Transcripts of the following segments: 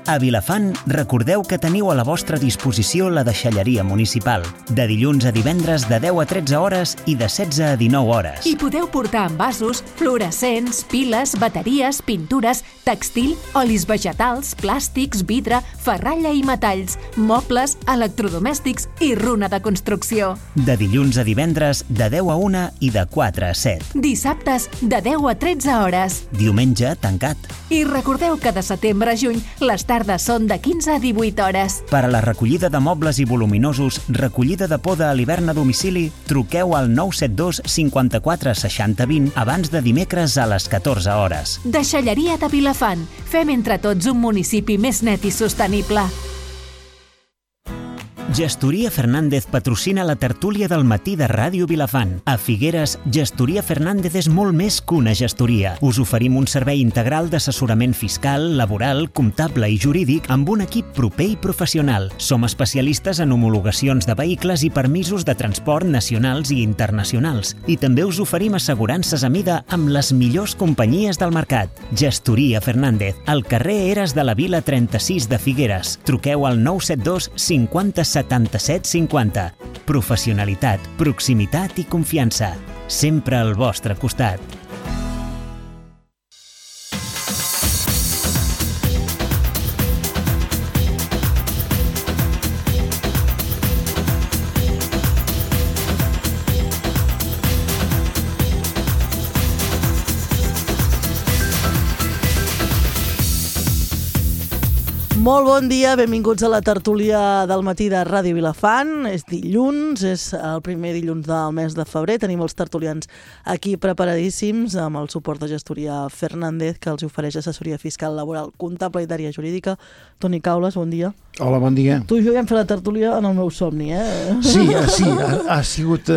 A Vilafant, recordeu que teniu a la vostra disposició la deixalleria municipal, de dilluns a divendres de 10 a 13 hores i de 16 a 19 hores. I podeu portar envasos, fluorescents, piles, bateries, pintures, textil, olis vegetals, plàstics, vidre, ferralla i metalls, mobles, electrodomèstics i runa de construcció. De dilluns a divendres de 10 a 1 i de 4 a 7. Dissabtes de 10 a 13 hores. Diumenge tancat. I recordeu que de setembre a juny les tardes són de 15 a 18 hores. Per a la recollida de mobles i voluminosos, recollida de poda a l'hivern a domicili, truqueu al 972 54 60 20 abans de dimecres a les 14 hores. Deixalleria de Vilafant. Fem entre tots un municipi més net i sostenible. Gestoria Fernández patrocina la tertúlia del matí de Ràdio Vilafant. A Figueres, Gestoria Fernández és molt més que una gestoria. Us oferim un servei integral d'assessorament fiscal, laboral, comptable i jurídic amb un equip proper i professional. Som especialistes en homologacions de vehicles i permisos de transport nacionals i internacionals. I també us oferim assegurances a mida amb les millors companyies del mercat. Gestoria Fernández, al carrer Eres de la Vila 36 de Figueres. Truqueu al 972 50 77 50. Professionalitat, proximitat i confiança. Sempre al vostre costat. Molt bon dia, benvinguts a la tertúlia del matí de Ràdio Vilafant. És dilluns, és el primer dilluns del mes de febrer. Tenim els tertulians aquí preparadíssims amb el suport de Gestoria Fernández, que els ofereix assessoria fiscal, laboral, comptable i d'àrea jurídica. Toni Caules, bon dia. Hola, bon dia. Tu i jo ja hem fet la tertúlia en el meu somni, Sí, ha sigut...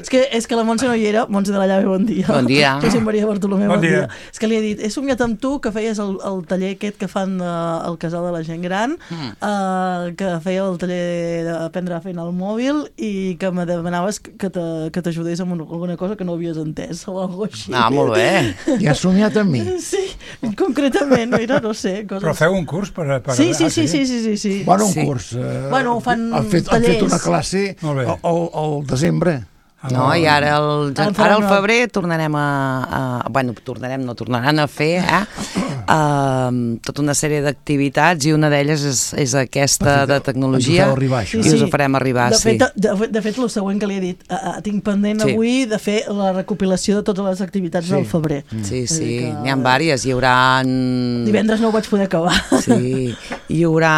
És que la Montse no hi era. Montse de la Llave, bon dia. Bon dia. Josep Maria Bartolomé, bon dia. És que li he dit, he somiat amb tu que feies el taller aquest que fan al casal de la gent gran, que feia el taller d'aprendre a fer al mòbil i que me demanaves que t'ajudés amb alguna cosa que no havies entès o alguna cosa així. Ah, molt bé. Ja has somiat amb mi? Sí, concretament, mira, no sé. Coses. Però feu un curs per... Sí. Bueno, un curs. Bueno, fan tallers. Han fet una classe al desembre. No, i ara al febrer tornaran a fer tota una sèrie d'activitats i una d'elles és aquesta de tecnologia i us ho farem arribar. De fet, el següent que li he dit, tinc pendent avui de fer la recopilació de totes les activitats del febrer. Sí, n'hi ha diverses. Hi haurà... Divendres no ho vaig poder acabar. Sí, hi haurà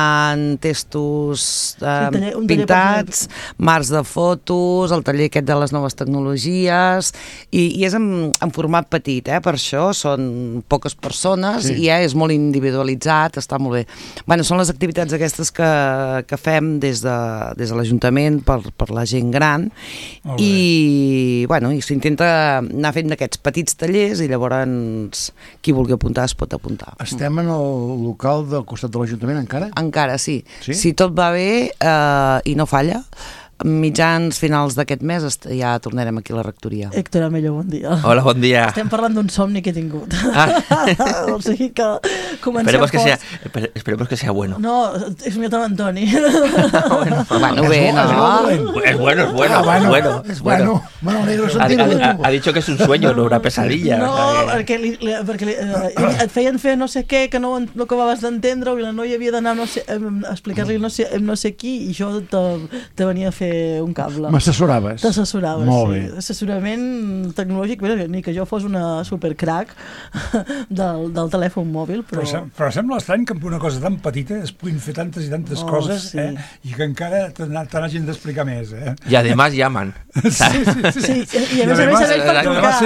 testos pintats, marcs de fotos, el taller aquest de les noves tecnologies i és en format petit, per això són poques persones i és molt individualitzat, està molt bé. Bueno, són les activitats aquestes que fem des de l'Ajuntament per la gent gran i s'intenta anar fent d'aquests petits tallers i llavors qui vulgui apuntar es pot apuntar. Estem en el local del costat de l'Ajuntament encara? Encara, sí. Si tot va bé i no falla, mitjans finals d'aquest mes ja tornarem aquí a la rectoria. Héctor Amello, bon dia. Hola, bon dia. Estem parlant d'un somni que he tingut. O sigui que comencem Esperemos que sea bueno. No, he somiat amb Antoni. Bueno, bé, no? Es bueno. Es bueno. Bueno, negro sentir-ho de tu. Ha dicho que es un sueño, no una pesadilla. No, perquè et feien fer no sé què, que no acabaves d'entendre i la noia havia d'anar a explicar-li no sé qui i jo te venia a fer un cable. M'assessoraves? T'assessoraves, molt bé. Assessorament tecnològic, ni que jo fos una supercrac del telèfon mòbil, però sembla estrany que amb una cosa tan petita es puguin fer tantes i tantes coses i que encara te n'hagin d'explicar més. I además llaman. Sí, i a més per trucar.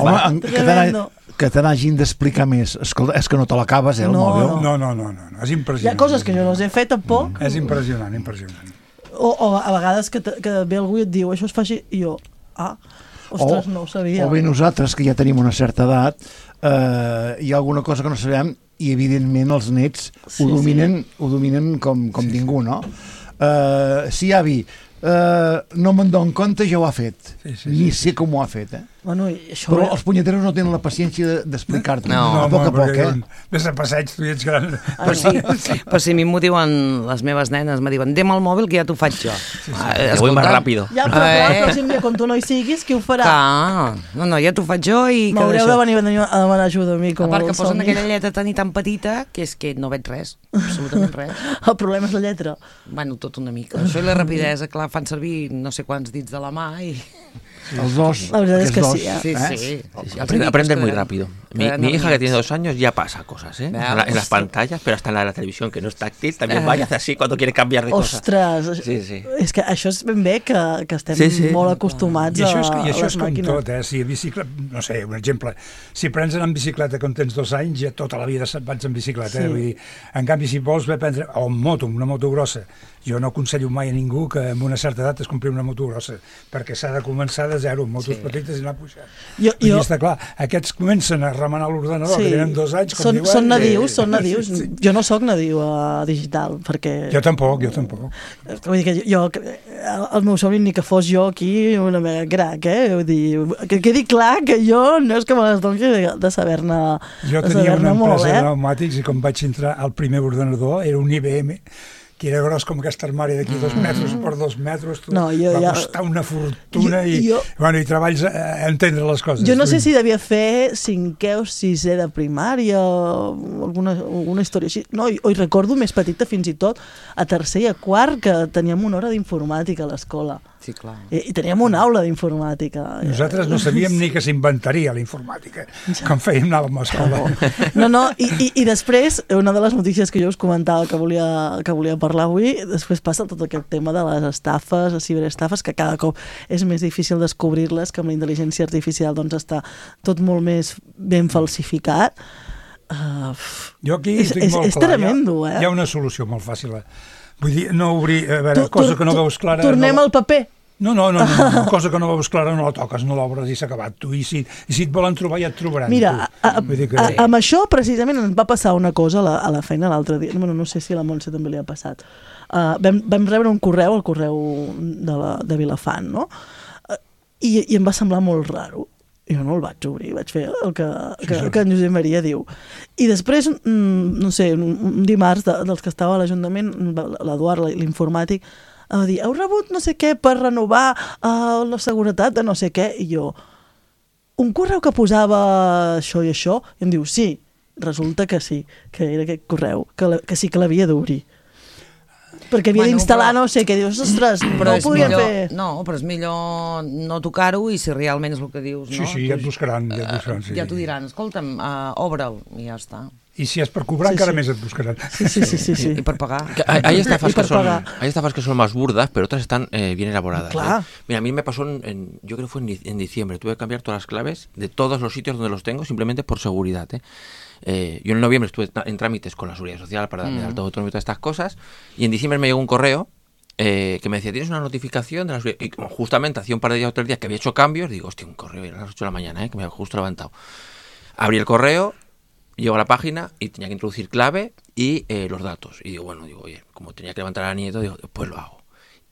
Home, que te n'hagin d'explicar més. Escolta, és que no te l'acabes, el mòbil. No, és impressionant. Hi ha coses que jo no les he fet tampoc. És impressionant. O a vegades que ve algú i et diu això es fa així, i jo, ostres, no ho sabia. O bé nosaltres, que ja tenim una certa edat, hi ha alguna cosa que no sabem i evidentment els nets ho dominen com ningú, no? Sí, avi, no me'n dono compte, ja ho ha fet. Ni sé com ho ha fet, Bueno, això... Però els punyeteros no tenen la paciència d'explicar-t'ho. No. A poc a poc, Ves a passeig, tu ja ets gran. Però si a mi m'ho diuen les meves nenes, me diuen, dem el mòbil que ja t'ho faig jo. Voy más rápido. Ja, però clar, el pròxim dia, quan tu no hi siguis, qui ho farà? No, ja t'ho faig jo i... M'haureu de venir a demanar ajuda a mi, com a part el que posen somni. aquella lletra tan petita que és que no veig res, absolutament res. El problema és la lletra. Bueno, tot una mica. Això i la rapidesa, clar, fan servir no sé quants dits de la mà i... Els dos. La veritat és que sí, Sí. Aprende muy rápido. Mi hija, que tiene 2 años, ya pasa cosas, en las pantallas, pero hasta en la de la televisión, que no es táctil, también vaya a hacer así cuando quiere cambiar de cosa. Ostres, Sí. és que això és ben bé que estem molt acostumats a les màquines. I això és com tot, si bicicleta, no sé, un exemple, si prens anar en bicicleta quan tens 2 anys, ja tota la vida vaig en bicicleta, vull dir, en canvi si vols prendre, o en moto, una moto grossa, jo no aconsello mai a ningú que amb una certa edat es compri una moto grossa, perquè s'ha de començar de zero, amb motos petites i anar pujant. I està clar, aquests comencen a remenar l'ordenador, que tenen 2 anys, com diuen... Són nadius. Jo no sóc nadiu digital, perquè... Jo tampoc. Vull dir que el meu somni ni que fos jo aquí una mega crac, Vull dir, que quedi clar que jo no és que me les doni de saber-ne molt, Jo tenia una empresa de pneumàtics i quan vaig entrar al primer ordenador era un IBM, que era gros com aquest armari d'aquí 2 metres per 2 metres, va costar una fortuna i treballs a entendre les coses. Jo no sé si devia fer 5è o 6è de primària o alguna història així. No, ho recordo més petita fins i tot, a 3è i a 4è, que teníem una hora d'informàtica a l'escola. Sí, clar. I teníem una aula d'informàtica. Nosaltres no sabíem ni que s'inventaria la informàtica, com fèiem, anàvem a l'escola. No, i després, una de les notícies que jo us comentava que volia parlar avui, després passa tot aquest tema de les estafes, les ciberestafes, que cada cop és més difícil descobrir-les, que amb la intel·ligència artificial doncs està tot molt més ben falsificat. Jo aquí tinc molt clar. És tremendo, Hi ha una solució molt fàcil. Vull dir, no obrir, a veure, cosa que no veus clara... Tornem al paper. No, cosa que no veus clara no la toques, no l'obres i s'ha acabat. Tu, i si et volen trobar ja et trobaran. Mira, amb això precisament ens va passar una cosa a la feina l'altre dia. No sé si a la Montse també li ha passat. Vam rebre un correu, el correu de Vilafant, no? I em va semblar molt raro. Jo no el vaig obrir, vaig fer el que en Josep Maria diu. I després, no sé, un dimarts dels que estava a l'Ajuntament, l'Eduard, l'informàtic, va dir, heu rebut no sé què per renovar la seguretat de no sé què? I jo, un correu que posava això i això? I em diu, sí, resulta que sí, que era aquest correu, que sí que l'havia d'obrir. Perquè havia d'instal·lar no sé què, dius, ostres, però no ho podien fer... No, però és millor no tocar-ho i si realment és el que dius, no? Sí, ja et buscaran. Ja t'ho diran, escolta'm, obre'l, i ja està. Y si es per cobrar, encara més et buscaran. Sí. Y por pagar. Hay estafas que son más burdas, pero otras están bien elaboradas. Claro. Mira, a mí me pasó, yo creo que fue en diciembre, tuve que cambiar todas las claves de todos los sitios donde los tengo, simplemente por seguridad. Yo en noviembre estuve en trámites con la Seguridad Social para darme alto autónomo y todas estas cosas, y en diciembre me llegó un correo que me decía, tienes una notificación de la Seguridad, y como justamente hacía un par de días o 3 días que había hecho cambios, digo, hostia, un correo, era a las 8 de la mañana, que me había justo levantado. Abrí el correo, llego a la página y tenía que introducir clave y los datos. Y digo, oye, como tenía que levantar a la niña y todo, digo, pues lo hago.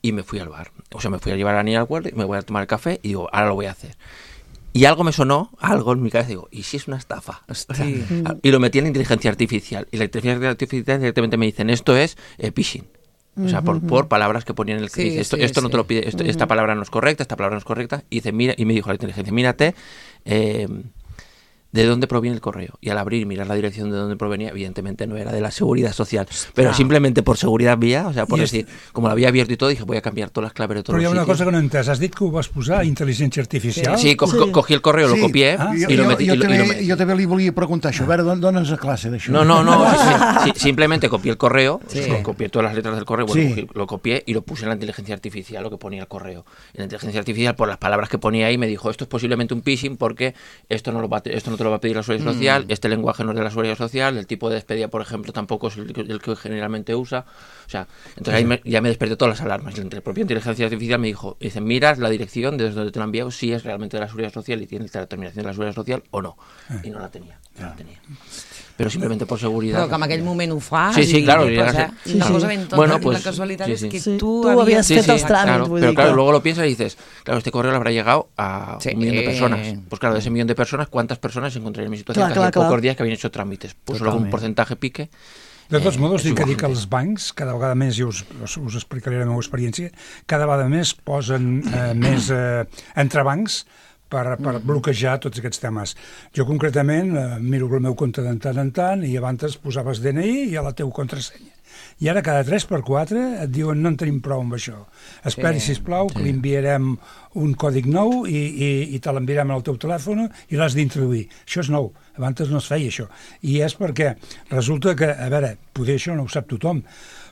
Y me fui al bar. O sea, me fui a llevar a la niña al huerto y me voy a tomar el café y digo, ahora lo voy a hacer. Y algo me sonó, algo en mi cabeza, digo, ¿y si es una estafa? O sea, y lo metí en la inteligencia artificial. Y la inteligencia artificial directamente me dicen, esto es phishing. O sea, por palabras que ponían en el que dice, esto no te lo pide, esta palabra no es correcta, esta palabra no es correcta. Y dice, mira, y me dijo la inteligencia, mírate, de dónde proviene el correo. Y al abrir y mirar la dirección de dónde provenía, evidentemente no era de la Seguridad Social, pero simplemente por seguridad mía, o sea, por decir, como lo había abierto y todo, dije, voy a cambiar todas las claves de todos los sitios. Però hi ha una cosa que no he entès. Has dit que ho vas posar, intel·ligència artificial? Sí, cogí el correo, lo copié y lo metí. Jo també li volia preguntar això. A veure, dona'ns a classe d'això. No, simplemente copié el correo, copié todas las letras del correo, lo copié y lo puse en la inteligencia artificial, lo que ponía el correo. En la inteligencia artificial, por las palabras que ponía ahí, me dijo, esto es posiblemente un phishing porque esto no te lo va a pedir la Seguridad Social, este lenguaje no es de la Seguridad Social, el tipo de despedida, por ejemplo, tampoco es el que generalmente usa. O sea, entonces ahí ya me desperté todas las alarmas. La propia inteligencia artificial me dice, miras la dirección desde donde te lo han enviado, si es realmente de la Seguridad Social y tiene la terminación de la Seguridad Social o no. Y no la tenía. pero simplemente por seguridad. Però que en aquell moment ho fas sí, claro, una cosa ben tonta, y la casualidad es que tú habías fet els tràmits. Pero claro, luego lo piensas y dices, claro, este correo le habrá llegado a 1 millón de personas. Pues claro, de ese 1 millón de personas, ¿cuántas personas encontrarían en mi situación que hace pocos días que habían hecho trámites? Pues solo un porcentaje pique. De tots modos, dic que els bancs, cada vegada més, i us explicaré la meva experiència, cada vegada més posen més entrebancs per bloquejar tots aquests temes. Jo concretament miro el meu compte de tant en tant i abans posaves DNI i a la teva contrasenya. I ara cada 3x4 et diuen no en tenim prou amb això. Esperi, sisplau, que li enviarem un còdig nou i te l'enviarem al teu telèfon i l'has d'introduir. Això és nou, abans no es feia això. I és perquè resulta que, a veure, poder això no ho sap tothom,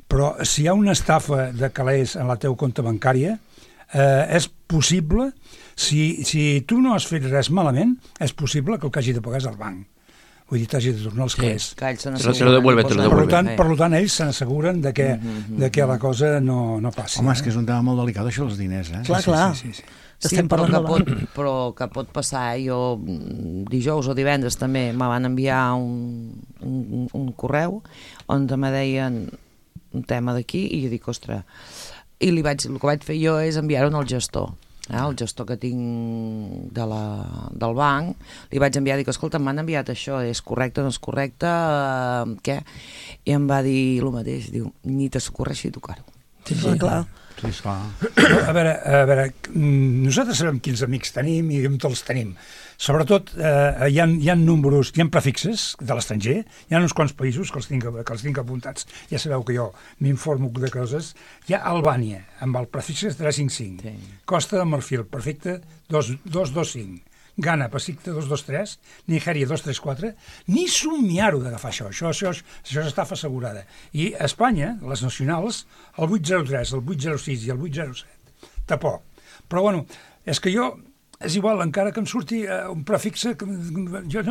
però si hi ha una estafa de calés en la teva compte bancària, és possible, si tu no has fet res malament, és possible que el que hagi de pagar és el banc. Vull dir, t'hagi de tornar els calés. Te lo devuelve. Per tant, ells s'asseguren de que la cosa no passi. Home, és que és un tema molt delicat, això dels diners, eh? Clar. Sí, però que pot passar. Jo dijous o divendres també me van enviar un correu on me deien un tema d'aquí i jo dic, ostres, i el que vaig fer jo és enviar-ho al gestor. El gestor que tinc del banc, li vaig enviar, dic, escolta, m'han enviat això, és correcte, no és correcte, què? I em va dir el mateix, diu, ni t'ocorreixi tocar-ho. Sí, clar. Sí, clar. A veure, nosaltres sabem quins amics tenim i on els tenim. Sobretot, hi ha números, hi ha prefixes de l'estranger, hi ha uns quants països que els tinc apuntats. Ja sabeu que jo m'informo de coses. Hi ha Albània, amb el prefix 355, Costa de Marfil, prefecte 225, Ghana, prefecte 223, Nigèria 234, ni somiar-ho d'agafar això. Això és estafa assegurada. I a Espanya, les nacionals, el 803, el 806 i el 807. Tampoc. Però bueno, és que jo... És igual, encara que em surti un prefixe... Això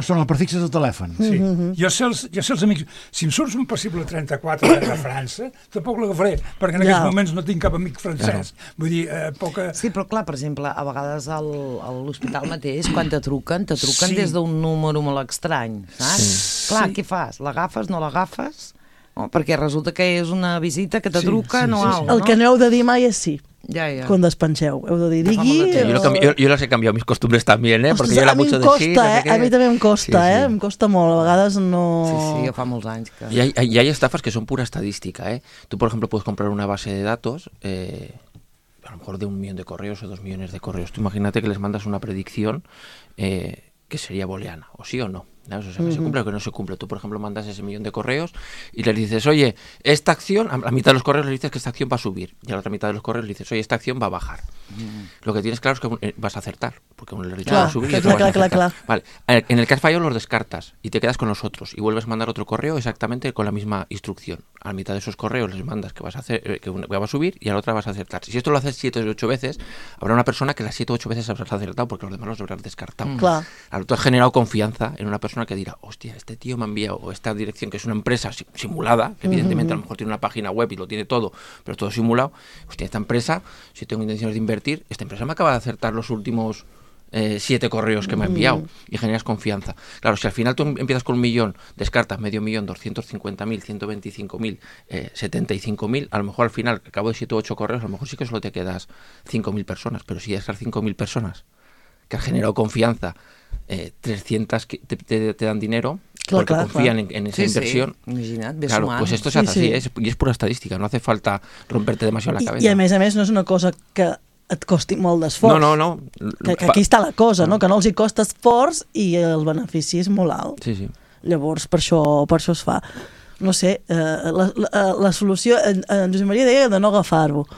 són els prefixes del telèfon. Sí. Jo sé els amics... Si em surts un possible 34 de França, tampoc l'agafaré, perquè en aquests moments no tinc cap amic francès. Vull dir, poca... Sí, però clar, per exemple, a vegades a l'hospital mateix, quan te truquen des d'un número molt estrany, saps? Clar, què fas? L'agafes, no l'agafes? Perquè resulta que és una visita que te truquen o alguna cosa, no? El que no heu de dir mai és sí. Ya. Cuando despenseu, heu de dir, digui... Yo las he cambiado mis costumbres también, ¿eh? Porque yo era mucho de sí. A mí también em costa, em costa molt, a vegades no... Sí, fa molts anys que... Y hay estafas que son pura estadística, ¿eh? Tú, por ejemplo, puedes comprar una base de datos, a lo mejor de 1 millón de correos o 2 millones de correos. Tú imagínate que les mandas una predicción que sería booleana, o sí o no. ¿No? O sea, que se cumple o que no se cumple. Tú, por ejemplo, mandas ese 1 millón de correos y les dices, oye, esta acción, a la mitad de los correos les dices que esta acción va a subir, y a la otra mitad de los correos les dices, oye, esta acción va a bajar. Lo que tienes claro es que vas a acertar, porque uno le ha dicho que va a subir y otro vas a acertar. Claro. Vale. En el que has fallado los descartas y te quedas con los otros y vuelves a mandar otro correo exactamente con la misma instrucción. A la mitad de esos correos les mandas que vas a hacer, que va a subir y a la otra vas a acertar. Si esto lo haces 7 o 8 veces, habrá una persona que las 7 o 8 veces habrás acertado porque los demás los habrás descartado. Claro. Tú has generado confianza en una persona que dirá, hostia, este tío me ha enviado, o esta dirección, que es una empresa simulada, que evidentemente a lo mejor tiene una página web y lo tiene todo, pero todo simulado. Hostia, esta empresa, si tengo intenciones de invertir, esta empresa me acaba de acertar los últimos 7 correos que me ha enviado, y generas confianza. Claro, si al final tú empiezas con 1 millón, descartas 500.000, 250.000, 125.000, 75.000, a lo mejor al final, al cabo de 7 o 8 correos, a lo mejor sí que solo te quedas 5.000 personas, pero si esas 5.000 personas que han generado confianza, 300 que te dan dinero porque confían en esa inversión. Claro, pues esto se hace así, y es pura estadística, no hace falta romperte demasiado la cabeza. I a més no és una cosa que et costi molt d'esforç. No. Que aquí està la cosa, no? Que no els hi costa esforç i el benefici és molt alt. Sí. Llavors, per això es fa. No sé, la solució, en Josep Maria deia de no agafar-ho.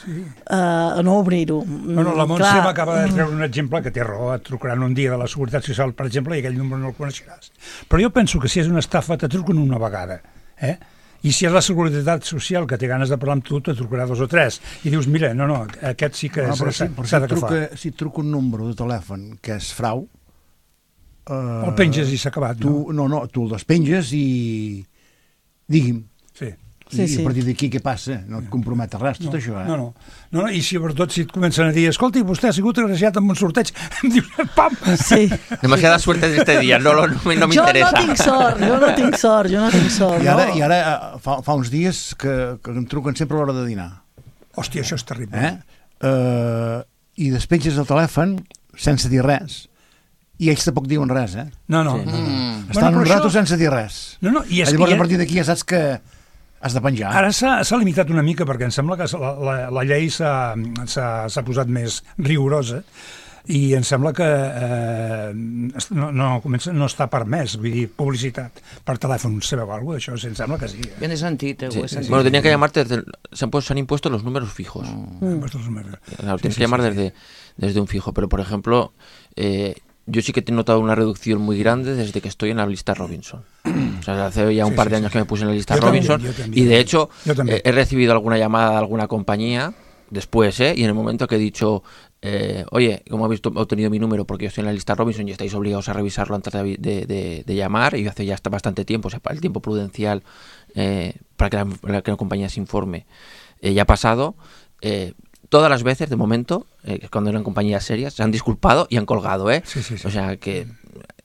Sí. No obrir-ho. Bueno, la Montse m'acaba de treure un exemple que té raó, et trucaran un dia de la Seguretat Social, per exemple, i aquell número no el coneixeràs. Però jo penso que si és una estafa te truquen una vegada, I si és la Seguretat Social que té ganes de parlar amb tu, te trucarà 2 o 3. I dius, mira, no, aquest sí que s'ha d'agafar. Si et truca un número de telèfon que és frau... El penges i s'ha acabat, no? No, tu el despenges i... Digui'm. Sí. I a partir d'aquí què passa? No et compromet res, tot això, No, i sobretot si et comencen a dir, escolti, vostè ha sigut agraciat amb un sorteig, em dius, pam! Sí. Demasiada suerte de este día, no m'interessa. Jo no tinc sort. I ara fa uns dies que em truquen sempre a l'hora de dinar. Hòstia, això és terrible. I despenges el telèfon sense dir res. I ells tampoc diuen res, No. Estan un rato sense dir res. Llavors, a partir d'aquí ja saps que has de penjar. Ara s'ha limitat una mica, perquè em sembla que la llei s'ha posat més rigorosa i em sembla que no està permès, vull dir, publicitat per telèfon. Sabeu alguna cosa d'això? Em sembla que sí. Jo n'he sentit, ho he sentit. Bueno, tenía que llamarte, se han impuesto los números fijos. Claro, tienes que llamar desde un fijo, pero por ejemplo... yo sí que he notado una reducción muy grande desde que estoy en la lista Robinson. O sea, hace ya un par de años que me puse en la lista Robinson y de hecho he recibido alguna llamada de alguna compañía después, y en el momento que he dicho, oye, como habéis obtenido mi número porque yo estoy en la lista Robinson y estáis obligados a revisarlo antes de llamar, y hace ya bastante tiempo, o sea, el tiempo prudencial para que la compañía se informe ya ha pasado. Todas las veces, de momento, cuando eran compañías serias, se han disculpado y han colgado, Sí. O sea que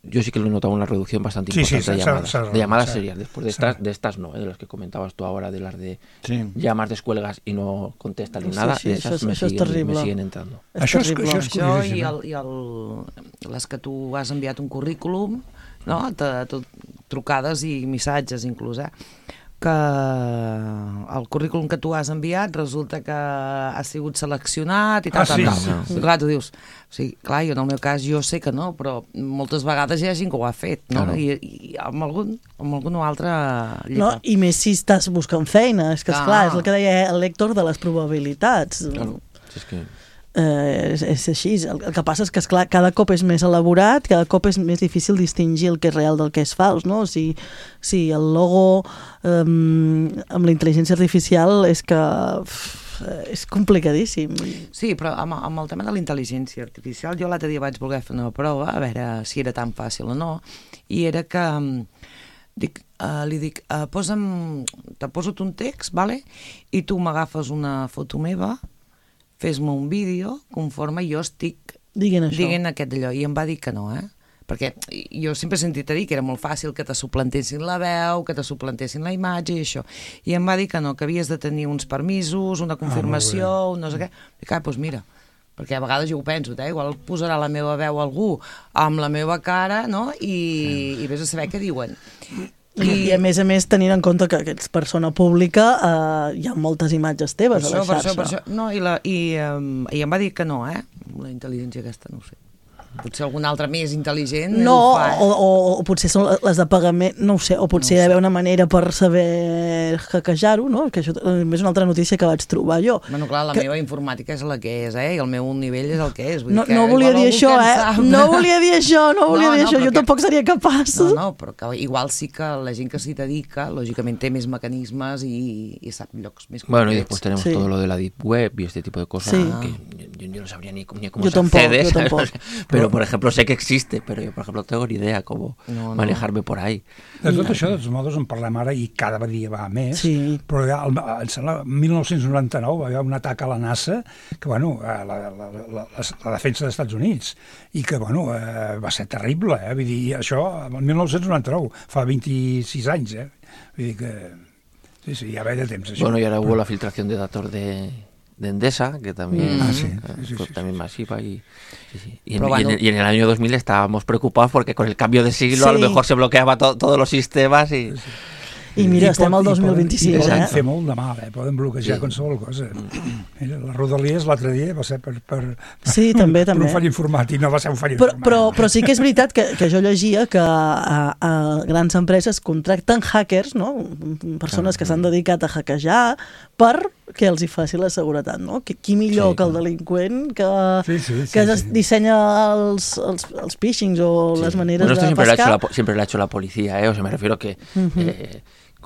yo sí que lo he notado una reducción bastante importante de llamadas serias. Después de estas no, de las que comentabas tú ahora, de las de llamas, descuelgas y no contestan ni nada, esas me siguen entrando. Això i les que tu has enviat un currículum, no? Trucades i missatges inclús, que el currículum que tu has enviat resulta que ha sigut seleccionat i tal. I clar, tu dius, o sigui, clar, jo en el meu cas jo sé que no, però moltes vegades hi ha gent que ho ha fet, no? I amb algun altre llibre. I més si estàs buscant feina, és que esclar, és el que deia el Héctor de les probabilitats. Claro, és que... és així, el que passa és que esclar, cada cop és més elaborat, cada cop és més difícil distingir el que és real del que és fals, no? Si el logo amb la intel·ligència artificial és que és complicadíssim. Sí, però amb el tema de la intel·ligència artificial jo l'altre dia vaig voler fer una prova a veure si era tan fàcil o no, i era que li dic, te poso un text, vale? I tu m'agafes una foto meva, fes-me un vídeo conforme jo estic dient aquest d'allò, i em va dir que no, perquè jo sempre he sentit a dir que era molt fàcil que te suplantessin la veu, que te suplantessin la imatge i això, i em va dir que no, que havies de tenir uns permisos, una confirmació, un no sé què. I clar, doncs mira, perquè a vegades jo ho penso, igual posarà la meva veu algú amb la meva cara, no? I vés a saber què diuen. I a més tenint en compte que ets persona pública, hi ha moltes imatges teves a la xarxa. Per això. No, i em va dir que no, la intel·ligència aquesta, no ho sé. Potser algun altre més intel·ligent no, o potser són les de pagament, no ho sé, o potser hi ha d'haver una manera per saber hackejar-ho, no? Que això és una altra notícia que vaig trobar jo. Bueno, clar, la meva informàtica és la que és, i el meu nivell és el que és. No volia dir això, no volia dir això, jo tampoc seria capaç. No, però que igual sí que la gent que s'hi dedica, lògicament té més mecanismes i sap llocs més concrets. Bueno, y después tenemos todo lo de la Deep Web y este tipo de cosas, que yo no sabría ni cómo se accede, pero por ejemplo sé que existe, pero yo por ejemplo no tengo ni idea cómo manejarme por ahí. De tot això, de tots modos, en parlem ara i cada dia va més, però ja, em sembla, en 1999 va haver un atac a la NASA, que bueno, la defensa dels Estats Units, i que bueno, va ser terrible, vull dir, això, el 1999, fa 26 anys, vull dir que sí, ja ve de temps, això. Bueno, y ahora hubo la filtración de datos de Endesa, que también, también masiva y en el año 2000 estábamos preocupados porque con el cambio de siglo a lo mejor se bloqueaba todos los sistemas I mira, estem al 2025. Poden fer molt de mal, poden bloquejar qualsevol cosa. Mira, la Rodalies l'altre dia va ser per un fall informàtic, no va ser un fall informàtic. Però sí que és veritat que jo llegia que a grans empreses contracten hackers, no? Persones que s'han dedicat a hackejar perquè els hi faci la seguretat, no? Qui millor que el delinqüent que dissenya els phishings o les maneres de pescar. Siempre lo ha hecho la policía, o sea, me refiero que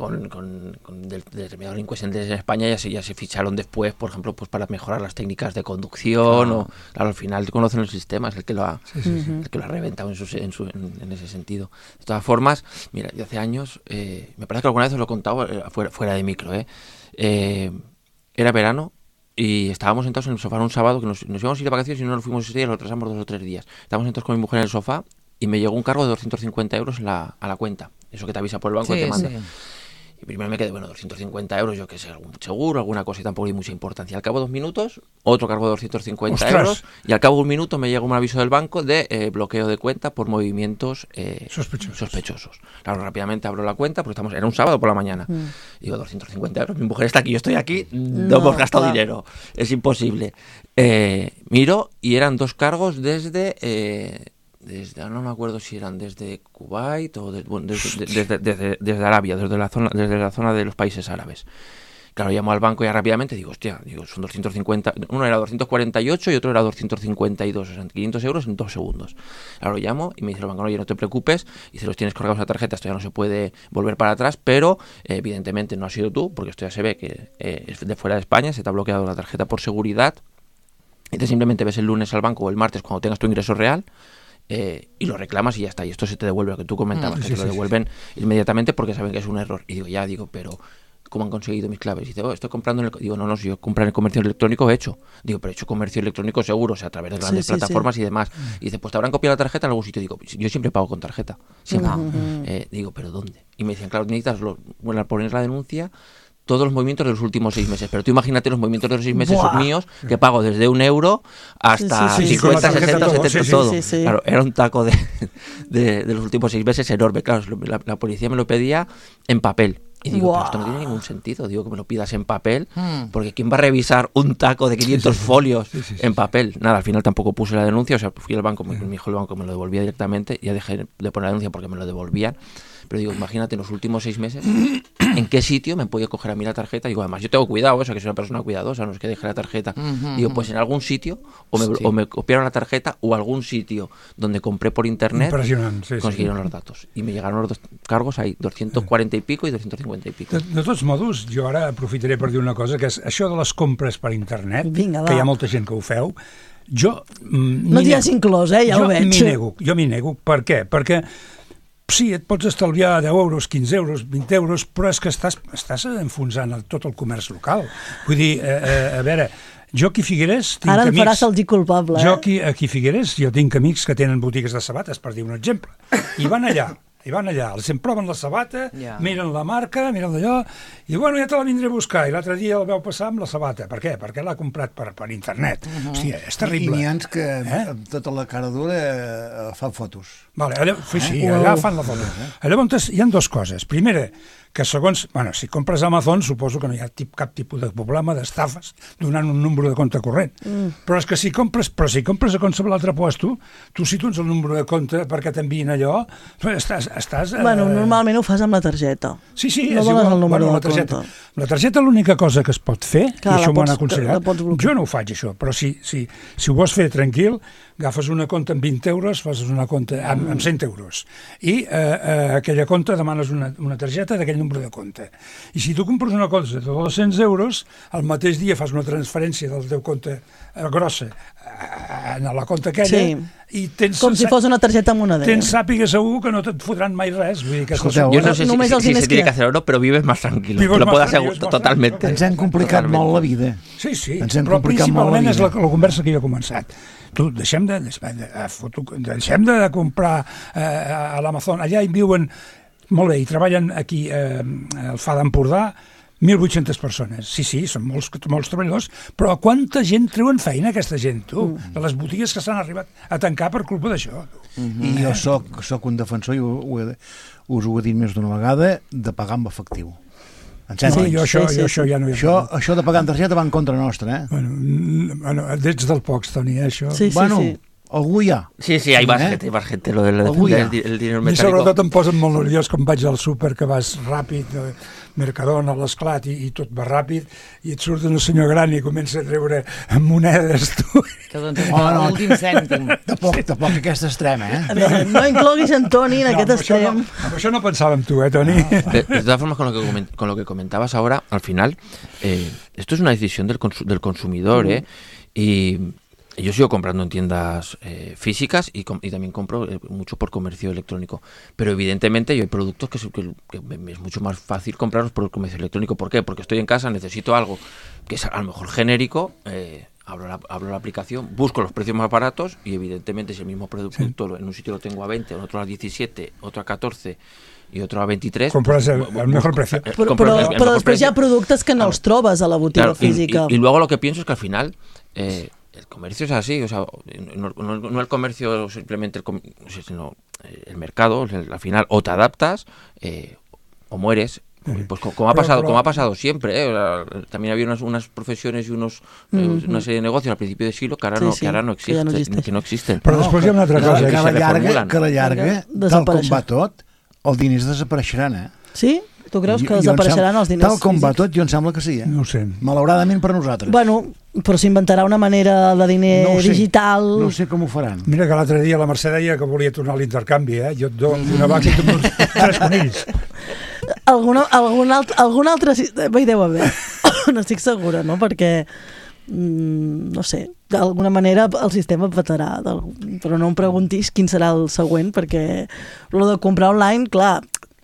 de determinados delincuentes en España ya se ficharon después, por ejemplo, pues para mejorar las técnicas de conducción, o claro, al final conocen el sistema, es el que lo ha reventado en ese sentido. De todas formas, mira, yo hace años, me parece que alguna vez os lo he contado fuera de micro, era verano y estábamos sentados en el sofá un sábado, que nos íbamos a ir de vacaciones y no nos fuimos ese día, lo retrasamos 2 o 3 días. Estábamos sentados con mi mujer en el sofá y me llegó un cargo de 250 euros a la cuenta. Eso que te avisa por el banco y te manda. Y primero me quedé, 250 euros, yo qué sé, algún seguro, alguna cosa y tampoco hay mucha importancia. Al cabo de 2 minutos, otro cargo de 250 euros y al cabo de 1 minuto me llega un aviso del banco de bloqueo de cuenta por movimientos sospechosos. Claro, rápidamente abro la cuenta porque era un sábado por la mañana. Digo, 250 euros, mi mujer está aquí, yo estoy aquí, no hemos gastado dinero, es imposible. Miro y eran 2 cargos desde no me acuerdo si eran desde Kuwait o desde Arabia, desde la zona de los países árabes. Claro, llamo al banco ya rápidamente, digo, son 250, uno era 248 y otro era 252, o sea, 500 euros en 2 segundos. Claro, llamo y me dice el banco, oye, no te preocupes, y si los tienes cargados a la tarjeta, esto ya no se puede volver para atrás, pero evidentemente no has sido tú, porque esto ya se ve que es de fuera de España, se te ha bloqueado la tarjeta por seguridad, y te simplemente ves el lunes al banco o el martes cuando tengas tu ingreso real, y lo reclamas y ya está, y esto se te devuelve, lo que tú comentabas, que te lo devuelven inmediatamente porque saben que es un error. Y digo, pero ¿cómo han conseguido mis claves? Y dice, estoy comprando digo, no, si yo comprar en el comercio electrónico he hecho. Digo, pero he hecho comercio electrónico seguro, o sea, a través de grandes plataformas y demás. Y dice, pues te habrán copiado la tarjeta en algún sitio. Digo, yo siempre pago con tarjeta. Digo, ¿pero dónde? Y me decían, claro, necesitas poner la denuncia, todos los movimientos de los últimos 6 meses. Pero tú imagínate los movimientos de los 6 meses míos, que pago desde 1 euro hasta 50, 60, 70, todo. Claro, era un taco de los últimos 6 meses enorme. Claro, la policía me lo pedía en papel. Y digo, pero esto no tiene ningún sentido. Digo, que me lo pidas en papel, porque ¿quién va a revisar un taco de 500 folios en papel? Nada, al final tampoco puse la denuncia, o sea, fui al banco, me dijo el banco que me lo devolvía directamente, y ya dejé de poner la denuncia porque me lo devolvían. Pero digo, imagínate, en los últimos 6 meses, ¿en qué sitio me podía coger a mí la tarjeta? Digo, además, yo tengo cuidado, eso, que soy una persona cuidadosa, no es que deje la tarjeta. Digo, pues en algún sitio, o me copiaron la tarjeta, o algún sitio donde compré por internet, consiguieron los datos. Y me llegaron los 2 cargos ahí, 240 y pico y 250 i pico. De tots modos, jo ara aprofitaré per dir una cosa, que és això de les compres per internet, que hi ha molta gent que ho feu, jo... No t'hi has inclòs, ja ho veig. Jo m'hi nego. Per què? Perquè sí, et pots estalviar 10 euros, 15 euros, 20 euros, però és que estàs enfonsant tot el comerç local. Vull dir, a veure, jo aquí a Figueres tinc amics... Ara em faràs sentir culpable, Jo aquí a Figueres tinc amics que tenen botigues de sabates, per dir un exemple, i van allà, els proven la sabata, miren la marca, miren d'allò, i bueno, ja te la vindré a buscar, i l'altre dia el veu passar amb la sabata. Per què? Perquè l'ha comprat per internet. Hòstia, és terrible. I n'hi ha que amb tota la cara dura fan fotos. Vale, allà fan la foto. Llavors hi ha 2 coses. Primera, que segons, si compres a Amazon suposo que no hi ha cap tipus de problema d'estafes donant un número de compte corrent. Però és que si compres a qualsevol altre puesto, tu si tu ets el número de compte perquè t'envien allò, estàs... Normalment ho fas amb la targeta. Sí, no dones el número de compte. La targeta l'única cosa que es pot fer, i això m'ho han aconsellat, jo no ho faig això, però si ho vols fer tranquil, agafes una compta amb 20 euros, fas una compta amb 100 euros, i aquella compta demanes una targeta d'aquell número de compte. I si tu compres una cosa de 200 euros, al mateix dia fas una transferència del teu compte grossa a la compta aquella, i tens... Com si fos una targeta monedera. Tens sàpiga segur que no et fotran mai res. Escolteu, jo no sé si se tiene que hacer o no, però vives más tranquilo. Lo puedo asegurar totalmente. Ens hem complicat molt la vida. Sí, però principalment és la conversa que jo he començat. Tu, deixem de comprar a l'Amazon. Allà hi viuen, molt bé, hi treballen aquí al FA d'Empordà 1.800 persones. Sí, són molts treballadors, però quanta gent treuen feina aquesta gent, tu? De les botigues que s'han arribat a tancar per culpa d'això. I jo soc un defensor, i us ho he dit més d'una vegada, de pagar amb efectiu. Això ja no hi ha... Això de pagar en targeta va en contra nostra, Bueno, ets del pocs, Toni, això. Sí. Algú hi ha. Sí, hay más gente, lo del dinero metálico. I sobretot em posen molt nerviós quan vaig al súper, que vas ràpid, Mercadona, a l'esclat, i tot va ràpid, i et surt un senyor gran i comença a treure monedes, tu. Que doncs l'últim cèntim. Tampoc aquest extrem, A veure, no incloguis en Toni en aquest extrem. Amb això no pensàvem tu, Toni? De todas formas, con lo que comentabas ahora, al final, esto es una decisión del consumidor, y yo sigo comprando en tiendas físicas y también compro mucho por comercio electrónico. Pero evidentemente hay productos que es mucho más fácil comprarlos por el comercio electrónico. ¿Por qué? Porque estoy en casa, necesito algo que es a lo mejor genérico, abro la aplicación, busco los precios más baratos y evidentemente si el mismo producto en un sitio lo tengo a 20, en otro a 17, otro a 14 i otro a 23... Compras el mejor precio. Però després hi ha productes que no els trobes a la botiga física. Y luego lo que pienso es que al final... el comercio es así, o sea, no el comercio simplemente, sino el mercado, al final o te adaptas o mueres. Pues como ha pasado siempre, también había unas profesiones y una serie de negocios al principio de siglo que ahora no existen. Però després hi ha una altra cosa que a la llarga, tal com va tot, els diners desapareixeran, Sí? Tu creus que desapareixeran els diners físics? Tal com va tot, jo em sembla que sí, No ho sé. Malauradament per nosaltres. Bueno, però s'inventarà una manera de diner digital... No sé com ho faran. Mira que l'altre dia la Mercè deia que volia tornar a l'intercanvi, Jo et dono una vaca i tu em dones 3 conills. Algun altre... Bé, deu haver. No estic segura, no? Perquè... no sé, d'alguna manera el sistema petarà, però no em preguntis quin serà el següent, perquè lo de comprar online, clar,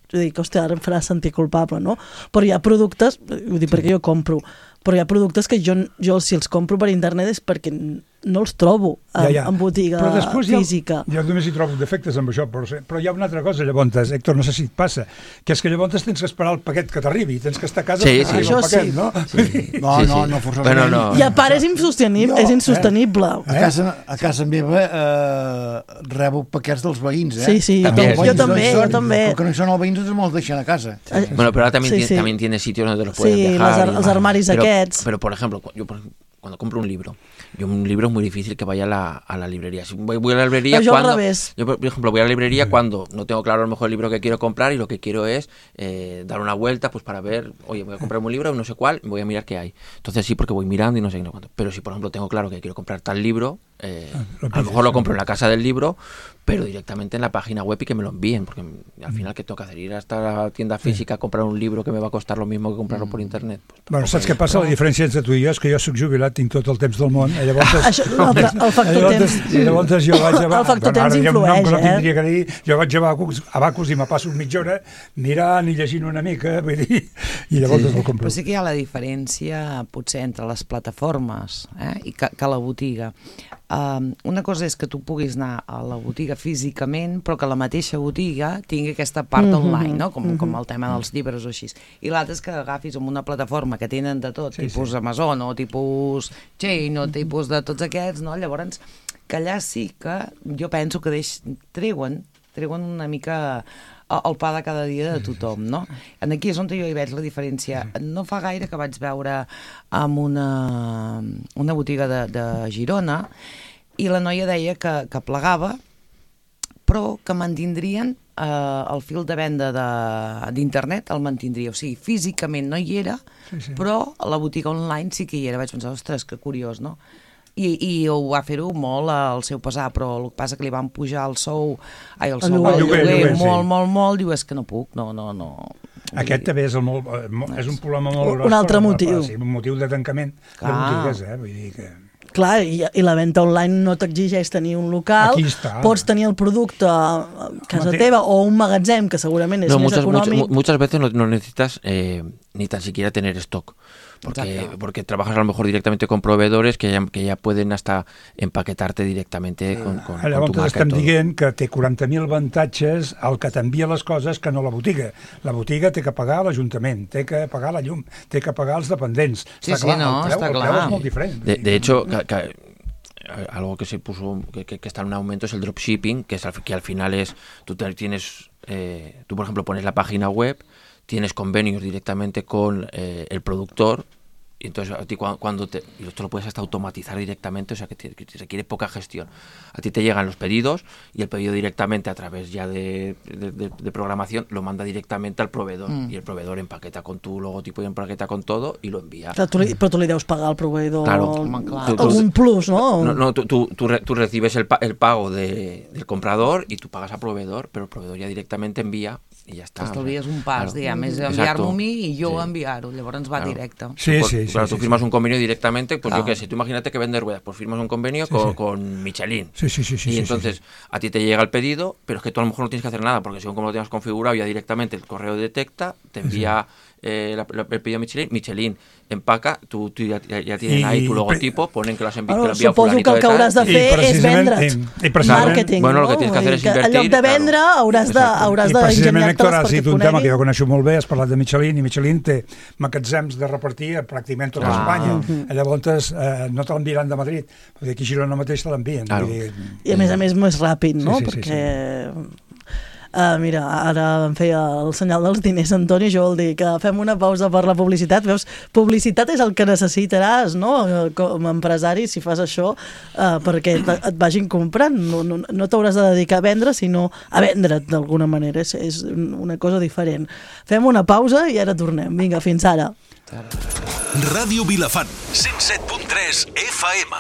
jo dic, hòstia, ara em farà sentir culpable, no? Però hi ha productes, ho dic perquè jo compro, però hi ha productes que jo si els compro per internet és perquè no els trobo en botiga física. Jo només hi trobo defectes amb això, però hi ha una altra cosa, llavors, Héctor, no sé si et passa, que és que llavors tens que esperar el paquet que t'arribi, tens que estar a casa per arribar el paquet, no? No, forçosament. I a part és insostenible. A casa meva rebo paquets dels veïns, Sí, jo també. Però que no hi són els veïns, els me'ls deixen a casa. Bueno, pero ahora también tiene sitios donde los pueden dejar. Sí, els armaris aquests. Pero, por ejemplo, cuando compro un libro es muy difícil que vaya a la librería. Si voy a la librería yo cuando... al revés. Yo, por ejemplo, voy a la librería cuando no tengo claro a lo mejor el libro que quiero comprar y lo que quiero es dar una vuelta pues para ver, oye, voy a comprar un libro, no sé cuál, voy a mirar qué hay. Entonces sí, porque voy mirando y no sé cuánto. Pero si, por ejemplo, tengo claro que quiero comprar tal libro, a lo mejor lo compro en la casa del libro, pero directamente en la página web y que me lo envíen, porque al final, ¿qué tengo que hacer? Ir hasta la tienda física a comprar un libro que me va a costar lo mismo que comprarlo por internet. Pues, bueno, saps què passa? La diferència entre tu i jo és que jo soc jubilat, tinc tot el temps del món, i llavors... El factor temps. Llavors jo vaig a... El factor temps influeix, Jo vaig a Abacus i me passo mitja hora mirant i llegint una mica, vull dir, i llavors el compro. Però sí que hi ha la diferència, potser, entre les plataformes i que la botiga. Una cosa és que tu puguis anar a la botiga físicament, però que la mateixa botiga tingui aquesta part online, no? Com el tema dels llibres o així. I l'altre és que agafis amb una plataforma que tenen de tot, tipus Amazon o tipus Chain o tipus de tots aquests, no? Llavors, que allà sí que jo penso que treuen una mica el pa de cada dia de tothom, no? Aquí és on jo hi veig la diferència. No fa gaire que vaig veure amb una botiga de Girona i la noia deia que plegava, però que mantindrien el fil de venda d'internet, el mantindria. O sigui, físicament no hi era, però a la botiga online sí que hi era. Vaig pensar, ostres, que curiós, no? I ho va fer-ho molt al seu pesar, però el que passa que li van pujar el lloguer molt, diu, és que no puc, no. Aquest també és un problema molt gros. Un altre motiu. Un motiu de tancament de botigues, vull dir que... Clar, i la venda online no t'exigeix tenir un local, pots tenir el producte a casa teva o un magatzem, que segurament és més econòmic. Muchas veces no necesitas ni tan siquiera tener stock. Porque trabajas a lo mejor directamente con proveedores que ya pueden hasta empaquetarte directamente con tu marca. Llavors estem dient que té 40.000 avantatges el que t'envia les coses que no la botiga. La botiga té que pagar l'Ajuntament, té que pagar la llum, té que pagar els dependents. Està clar, el preu és molt diferent. De hecho, algo que se puso, que está en un aumento es el dropshipping, que al final es, tú por ejemplo pones la página web, tienes convenios directamente con el productor Y entonces a ti y esto lo puedes hasta automatizar directamente, o sea que te requiere poca gestión. A ti te llegan los pedidos y el pedido directamente a través ya de programación lo manda directamente al proveedor y el proveedor empaqueta con tu logotipo y empaqueta con todo y lo envía. Però tu li deus pagar al proveïdor algun plus, ¿no? No, tú recibes el pago del comprador y tú pagas al proveedor, pero el proveedor ya directamente envía i ja està. T'estalvies un pas, diguem, és enviar-m'ho a mi i jo enviar-ho, llavors va directe. Sí. Claro, tú firmas un convenio directamente, pues yo qué sé, tú imagínate que vendes ruedas, pues firmas un convenio con Michelin. Sí. Y entonces a ti te llega el pedido, pero es que tú a lo mejor no tienes que hacer nada, porque según como lo tengas configurado, ya directamente el correo detecta, te envía el pedido Michelin empaca, tú ya tienen ahí tu logotipo, ponen que lo has enviado suposo que el que hauràs de fer és vendre't. Màrqueting, bueno, lo que tienes que hacer es invertir. En lloc de vendre hauràs d'ingeniar-te has dit un tema que jo coneixo molt bé, has parlat de Michelin, i Michelin té magatzems de repartir a pràcticament tota Espanya. Llavors no te l'enviaran de Madrid, perquè aquí a Girona mateix te l'envien. I a més més ràpid, no? Perquè... mira, ara em feia el senyal dels diners, Antoni, jo vol dir que fem una pausa per la publicitat. Veus, publicitat és el que necessitaràs, no?, com a empresari, si fas això, perquè et vagin comprant. No t'hauràs de dedicar a vendre, sinó a vendre't d'alguna manera. És una cosa diferent. Fem una pausa i ara tornem. Vinga, fins ara. Ràdio Vilafant, 107.3 FM.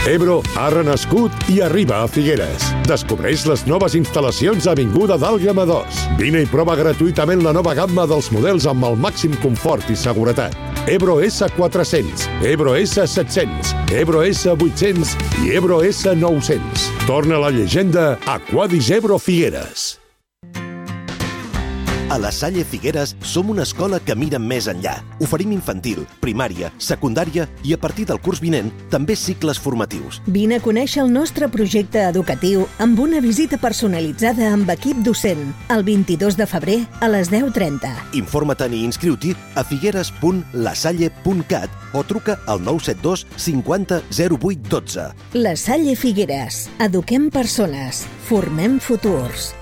Ebro ha renascut i arriba a Figueres. Descobreix les noves instal·lacions a Avinguda d'Àlguema 2. Vine i prova gratuïtament la nova gamma dels models amb el màxim confort i seguretat. Ebro S400, Ebro S700, Ebro S800 i Ebro S900. Torna la llegenda Aquadis Ebro Figueres. A la Salle Figueres som una escola que mira més enllà. Oferim infantil, primària, secundària i a partir del curs vinent també cicles formatius. Vine a conèixer el nostre projecte educatiu amb una visita personalitzada amb equip docent el 22 de febrer a les 10:30. Informa't-hi i inscriu-t'hi a figueres.lasalle.cat o truca al 972 50 08 12. La Salle Figueres. Eduquem persones. Formem futurs.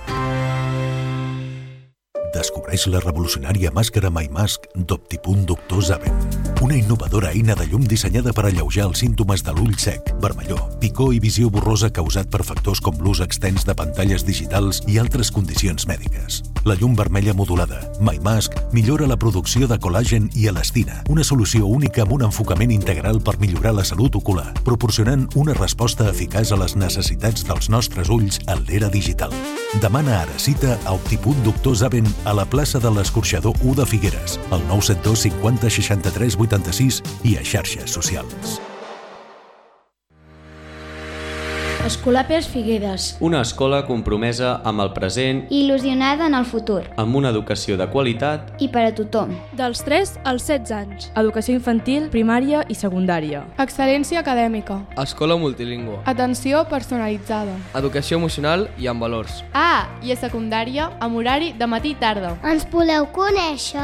Descobreix la revolucionària màscara MyMask d'Optipunt Doctor Zaven. Una innovadora eina de llum dissenyada per alleujar els símptomes de l'ull sec, vermellor, picor i visió borrosa causat per factors com l'ús extens de pantalles digitals i altres condicions mèdiques. La llum vermella modulada, MyMask, millora la producció de col·làgen i elastina, una solució única amb un enfocament integral per millorar la salut ocular, proporcionant una resposta eficaç a les necessitats dels nostres ulls en l'era digital. Demana ara cita a Optipunt Doctor Zaven a la plaça de l'Escorxador 1 de Figueres, al 972 50 63 86 i a xarxes socials. Escolapes Figueres. Una escola compromesa amb el present i il·lusionada en el futur. Amb una educació de qualitat i per a tothom. Dels 3 als 16 anys. Educació infantil, primària i secundària. Excel·lència acadèmica. Escola multilingüe. Atenció personalitzada. Educació emocional i amb valors. I a secundària, amb horari de matí i tarda. Ens voleu conèixer?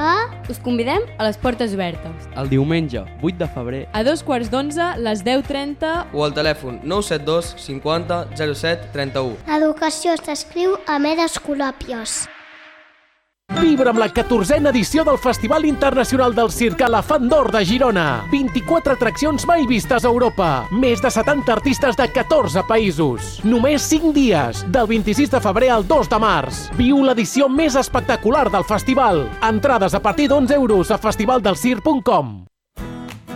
Us convidem a les portes obertes. El diumenge, 8 de febrer. A 2:15, les 10:30. O al telèfon 972 50 07 31. Educació s'escriu amb Escolàpios. Vibra amb la 14a edició del Festival Internacional del Circ Elefant d'Or de Girona. 24 atraccions mai vistes a Europa. Més de 70 artistes de 14 països. Només 5 dies, del 26 de febrer al 2 de març. Viu l'edició més espectacular del festival. Entrades a partir d'11 € a festivaldelscirc.com.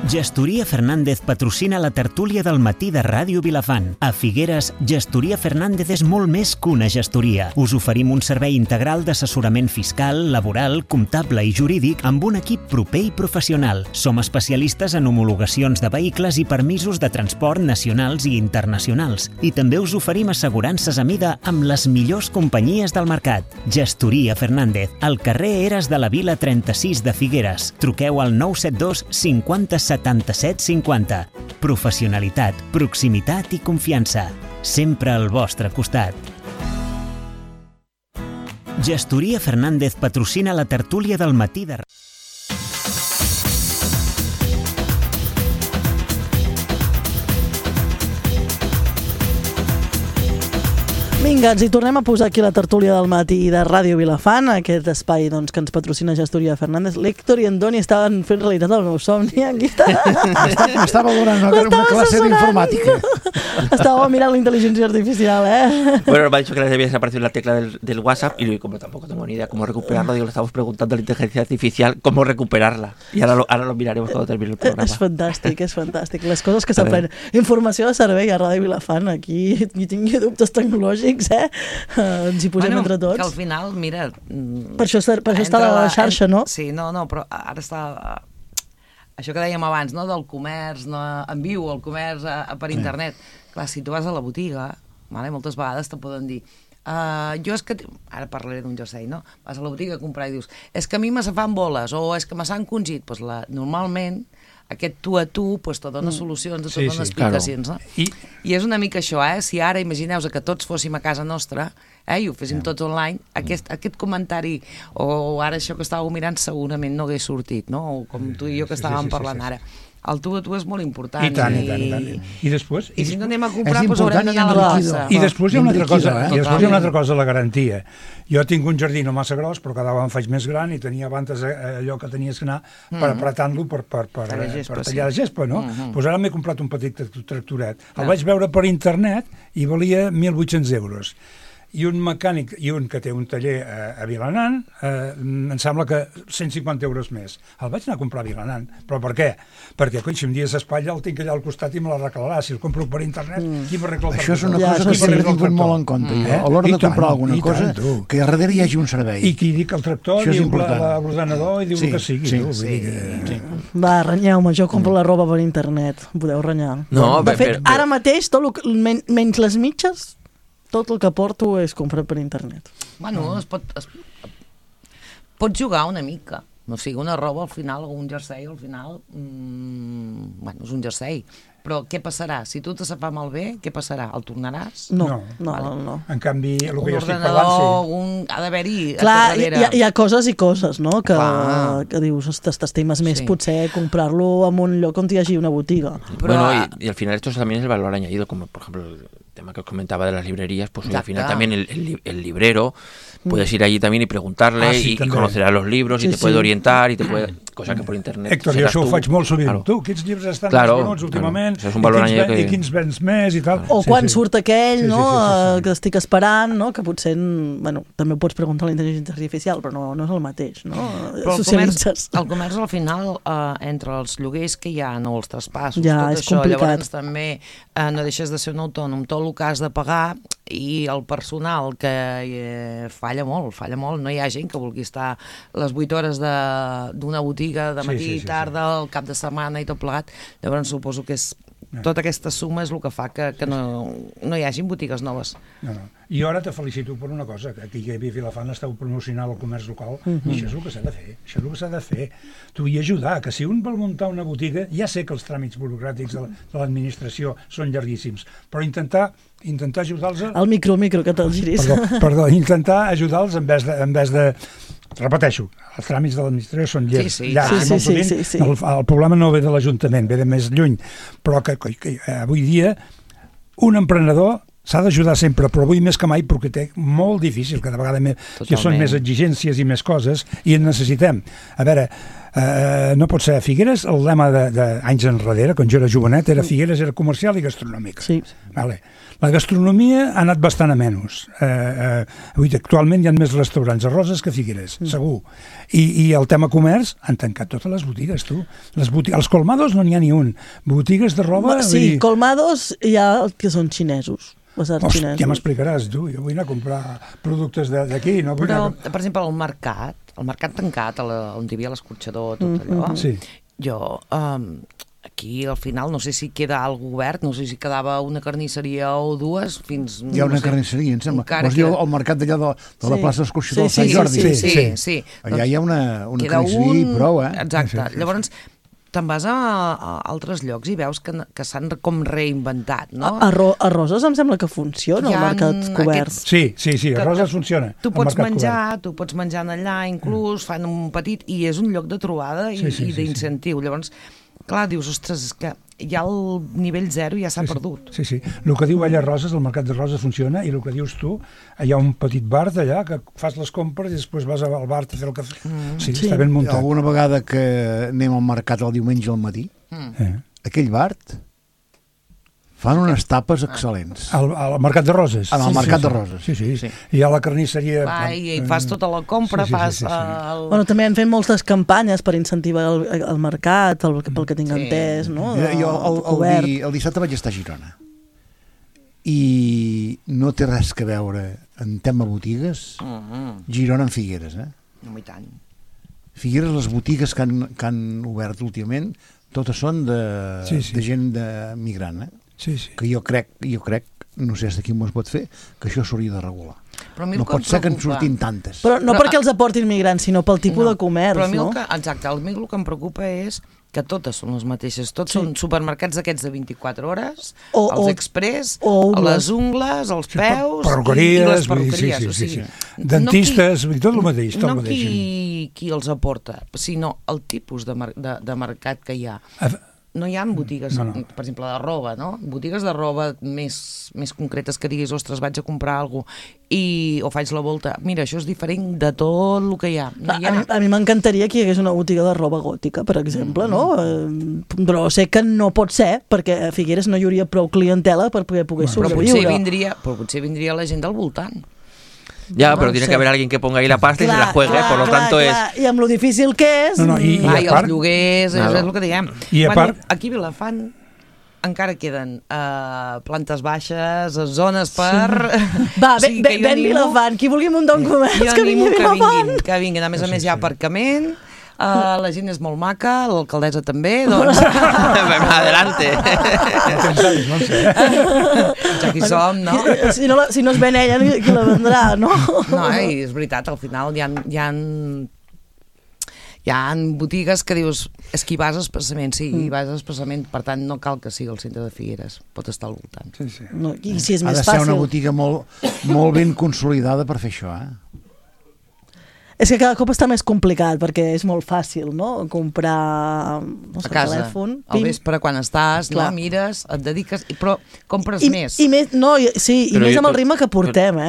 Gestoria Fernández patrocina la tertúlia del matí de Ràdio Vilafant. A Figueres, Gestoria Fernández és molt més que una gestoria. Us oferim un servei integral d'assessorament fiscal, laboral, comptable i jurídic amb un equip proper i professional. Som especialistes en homologacions de vehicles i permisos de transport nacionals i internacionals. I també us oferim assegurances a mida amb les millors companyies del mercat. Gestoria Fernández, al carrer Eres de la Vila 36 de Figueres. Truqueu al 972 50 77 50. Professionalitat, proximitat i confiança. Sempre al vostre costat. Gestoria Fernández patrocina la tertúlia del matí de... Vinga, ens hi tornem a posar aquí la tertúlia del matí de Ràdio Vilafant, aquest espai doncs, que ens patrocina Gestoria Fernández. L'Héctor i en Doni estaven fent realitat el meu somni. Aquí està. Estava donant una clase d'informàtica. Estaba mirando la inteligencia artificial, ¿eh? Bueno, me ha dicho que le había desaparecido la tecla del WhatsApp y como tampoco tengo ni idea cómo recuperarlo, digo, le estamos preguntando a la inteligencia artificial cómo recuperarla. Y ahora lo miraremos cuando termine el programa. És fantàstic, és fantàstic. Les coses que s'aprenen. Informació de servei a Ràdio Vilafant. Aquí ni tingui dubtes tecnològics, ens hi posem entre tots. Que al final, mira... Per això està la xarxa, no? Sí, no, però ara està... Això que dèiem abans, no?, del comerç en viu, el comerç per internet. Clar, si tu vas a la botiga, moltes vegades te poden dir jo és que... Ara parlaré d'un jersei, no? Vas a la botiga a comprar i dius és que a mi me se fan boles o és que me s'han congit. Normalment aquest tu a tu te dona solucions, te dona explicacions, no? I és una mica això, si ara imagineu que tots fóssim a casa nostra i ho féssim tots online, aquest comentari o ara això que estàveu mirant segurament no hagués sortit, no? O com tu i jo que estàvem parlant ara. El tu a tu és molt important. I tant. I després... I si no anem a comprar, doncs haurem d'anar a la plaça. I després hi ha una altra cosa, la garantia. Jo tinc un jardí no massa gros, però cada vegada em faig més gran i tenia abans allò que tenies que anar per apretant-lo per tallar la gespa, no? Doncs ara m'he comprat un petit tractoret. El vaig veure per internet i valia 1.800 euros. I un mecànic, i un que té un taller a Vilanant, em sembla que 150 euros més. El vaig anar a comprar a Vilanant. Però per què? Perquè, si un dia s'espatlla, el tinc allà al costat i me l'arreglarà. Si el compro per internet, qui m'arregla el tractor? Això és una cosa que sempre he tingut molt en compte. A l'hora de comprar alguna cosa, que a darrere hi hagi un servei. I qui dic el tractor, diu l'ordenador i diu que sigui. Va, renyeu-me, jo compro la roba per internet. Podeu renyar. De fet, ara mateix, menys les mitges, tot el que porto és comprat per internet. Bueno, pots jugar una mica. No sigui una roba al final, o un jersei al final... Bueno, és un jersei. Però què passarà? Si tu te se fa malbé, què passarà? El tornaràs? No. En canvi, el que jo estic parlant... Un ordenador, ha d'haver-hi... Clar, hi ha coses i coses, no? Que dius, t'estimes més potser comprar-lo en un lloc on hi hagi una botiga. Bueno, y al final esto también es el valor añadido, como por ejemplo el tema que os comentaba de las librerías, pues al final también el librero, puedes ir allí también y preguntarle y conocerá los libros y te puede orientar y te puede... Cosa que por internet... Héctor, jo això ho faig molt sovint. Tu, quins llibres estan més bons últimament? És un valor añadido i quins vens més i tal. O quan surt aquell, no?, que estic esperant, no?, que potser, bueno, també ho pots preguntar a la intel·ligència artificial, però no és el mateix, no? Socialitzes. El comerç al final, entre els lloguers que hi ha, no, els traspassos, tot això, llavors també no deixes de ser un autònom, tot el que has de pagar i el personal que falla molt, no hi ha gent que vulgui estar les 8 hores d'una botiga de matí, tarda, el cap de setmana i tot plegat. Llavors suposo que tota aquesta suma és el que fa que no hi hagin botigues noves. I ara te felicito per una cosa, que aquí a Vilafant esteu promocionant el comerç local i això és el que s'ha de fer, Tu i ajudar, que si un vol muntar una botiga, ja sé que els tràmits burocràtics de l'administració són llarguíssims, però intentar ajudar-los... El micro, que te'l giris. Perdó, intentar ajudar-los en vez de... Repeteixo, els tràmits de l'administració són llargs. El problema no ve de l'Ajuntament, ve de més lluny, però que avui dia un emprenedor s'ha d'ajudar sempre, però avui més que mai perquè té molt difícil, cada vegada que són més exigències i més coses i en necessitem. A veure, no pot ser a Figueres, el lema d'anys enrere, quan jo era jovenet, era Figueres era comercial i gastronòmica. La gastronomia ha anat bastant a menys. Actualment hi ha més restaurants a Roses que a Figueres, segur. I el tema comerç, han tancat totes les botigues, tu. Els colmados no n'hi ha ni un. Botigues de roba... Sí, colmados hi ha que són xinesos. Ja m'explicaràs, tu. Jo vull anar a comprar productes d'aquí. Però, per exemple, el mercat tancat, on hi havia l'escorxador, tot allò, jo... Aquí, al final, no sé si queda algo obert, no sé si quedava una carnisseria o dues, fins... Hi ha una carnisseria, em sembla. Vols dir el mercat d'allà de la plaça d'Escorxador del Sant Jordi? Sí. Allà hi ha una carnisseria i prou, Exacte. Llavors, te'n vas a altres llocs i veus que s'han com reinventat, no? A Roses em sembla que funciona el mercat cobert. Sí, a Roses funciona. Tu pots menjar allà, inclús, fan un petit... I és un lloc de trobada i d'incentiu. Llavors, clar, dius, ostres, és que ja el nivell 0 ja s'ha perdut. Sí. El que diu ella Roses, el mercat de Roses funciona, i el que dius tu, hi ha un petit bar d'allà que fas les compres i després vas al bar a fer el cafè. Sí, està ben muntat. Alguna vegada que anem al mercat el diumenge al matí, aquell bar fan unes tapes excel·lents. Al mercat de Roses? Al mercat de Roses. Sí. I a la carnisseria... I fas tota la compra, fas... Bueno, també han fet moltes campanyes per incentivar el mercat, pel que tinc entès, no? Jo el dissabte vaig estar a Girona i no té res que veure en tema botigues Girona amb Figueres, No, i tant. Figueres, les botigues que han obert últimament, totes són de gent migrant, que jo crec, no sé si aquí m'ho es pot fer, que això s'hauria de regular. No pot ser que en surtin tantes. Però no perquè els aportin migrants, sinó pel tipus de comerç, no? Exacte, a mi el que em preocupa és que totes són les mateixes, tots són supermercats aquests de 24 hores, els express, les ungles, els peus i les perruqueries. Dentistes, tot el mateix. No qui els aporta, sinó el tipus de mercat que hi ha. No hi ha botigues, per exemple, de roba, no? Botigues de roba més concretes que diguis, ostres, vaig a comprar alguna cosa o faig la volta. Mira, això és diferent de tot el que hi ha. A mi m'encantaria que hi hagués una botiga de roba gòtica, per exemple, no? Però sé que no pot ser, perquè a Figueres no hi hauria prou clientela per poder sobreviure. Però potser vindria la gent del voltant. Ya, pero tiene que haber alguien que ponga ahí la pasta y se la juegue, por lo tanto es... I amb lo difícil que és... I els lloguers, és el que diem. Aquí a Vilafant encara queden plantes baixes, zones per... Va, ven Vilafant, qui vulgui muntar un comerç, que vingui a Vilafant. Que vinguin, a més a més hi ha aparcament, la gent és molt maca, l'alcaldessa també, doncs... Adelante. Ja que hi som, no? Si no es ven ella, qui la vendrà, no? No, i és veritat, al final hi ha botigues que dius, és que hi vas expressament, hi vas expressament, per tant no cal que sigui el centre de Figueres, pot estar al voltant. No, i si és més fàcil... Ha de ser una botiga molt ben consolidada per fer això, És que cada cop està més complicat, perquè és molt fàcil, no? Comprar a casa, telèfon, al vespre, quan estàs, no? Mires, et dediques, però compres més. I més amb el ritme que portem,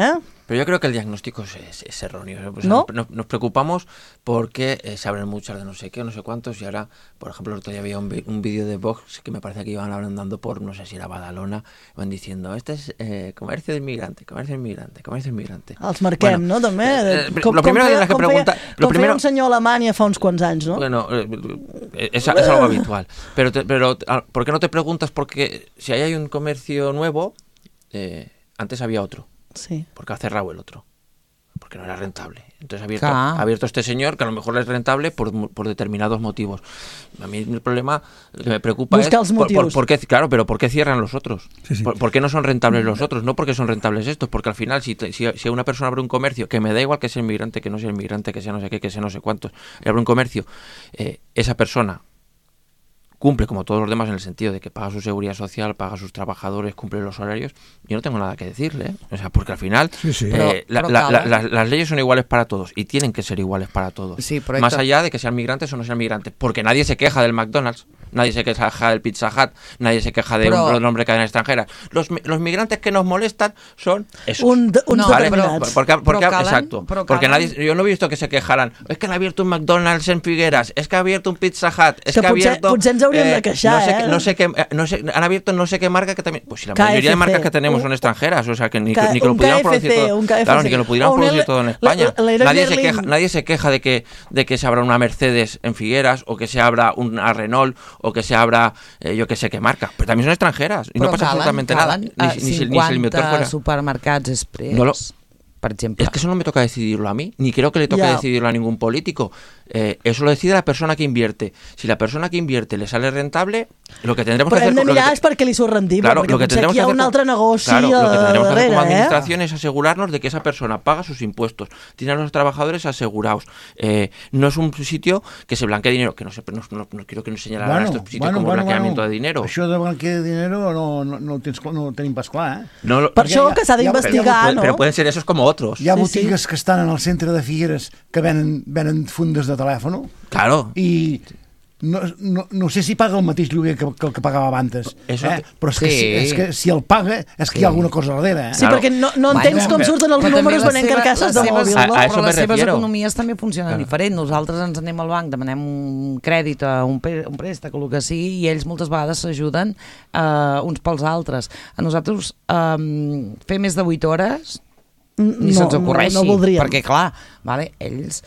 Pero yo creo que el diagnóstico es erróneo. Pues ¿No? Nos preocupamos porque se abren muchas de no sé qué, no sé cuántos, y ahora, por ejemplo, el otro día había un vídeo de Vox que me parece que iban hablando por, no sé si era Badalona, van diciendo, este es comercio de inmigrante, comercio de inmigrante, comercio de inmigrante. Els marquem, no, també? Lo primero que tienes que preguntar... Com feia un senyor a Alemanya fa uns quants anys, no? Bueno, es algo habitual. Pero ¿por qué no te preguntas? Porque si ahí hay un comercio nuevo, antes había otro. Sí. Porque ha cerrado el otro, porque no era rentable. Entonces ha abierto este señor, que a lo mejor es rentable por determinados motivos. A mí el problema que me preocupa es ¿por qué cierran los otros? Sí. ¿Por qué no son rentables los otros? No porque son rentables estos, porque al final si una persona abre un comercio, que me da igual que sea inmigrante, que no sea inmigrante, que sea no sé qué, que sea no sé cuántos, y abre un comercio, esa persona cumple como todos los demás en el sentido de que paga su seguridad social, paga a sus trabajadores, cumple los horarios, yo no tengo nada que decirle, O sea, porque al final las leyes son iguales para todos y tienen que ser iguales para todos, más allá de que sean migrantes o no sean migrantes, porque nadie se queja del McDonald's, nadie se queja del Pizza Hut, nadie se queja de un nombre de cadena extranjera. Los migrantes que nos molestan son esos. Porque yo no he visto que se quejaran, es que han abierto un McDonald's en Figueras, es que ha abierto un Pizza Hut, es que ha abierto... de queixar, han abierto no sé qué marca que también, pues si la mayoría de marcas que tenemos son extranjeras, o sea que ni que lo pudieran producir todo, claro, ni que lo pudieran producir todo en España. Nadie se queja de que se abra una Mercedes en Figueras o que se abra una Renault o que se abra yo que sé qué marca, pero también son extranjeras y no pasa absolutamente nada, ni si el inventor fuera. Supermercats express. Por ejemplo. Es que eso no me toca decidirlo a mí, ni creo que le toque decidirlo a ningún político. Eso lo decide la persona que invierte. Si la persona que invierte le sale rentable, lo que tendremos que hacer... Però hem de mirar és perquè li surt rendible, claro, perquè potser aquí hi ha un altre negoci darrere. Lo que tendremos que hacer como administración es asegurarnos de que esa persona paga sus impuestos, tiene a los trabajadores asegurados. No es un sitio que se blanquee dinero, que no quiero que nos señalaran estos sitios como blanqueamiento de dinero. Això de blanquear de dinero no ho tenim pas clar, Per això que s'ha d'investigar, no? Pero pueden ser esos como otros. Hi ha botigues que estan en el centre de Figueres que venen fundes de telèfon. Claro. I no sé si paga el mateix lloguer que el que pagava abans, però és que si el paga és que hi ha alguna cosa darrere. Sí, perquè no entens com surten els números venent carcasses de mòbil. Però les seves economies també funcionen diferent. Nosaltres ens anem al banc, demanem un crèdit, un préstec o el que sigui, i ells moltes vegades s'ajuden uns pels altres. A nosaltres fer més de 8 hores ni se'ns ocorreixi, perquè clar, ells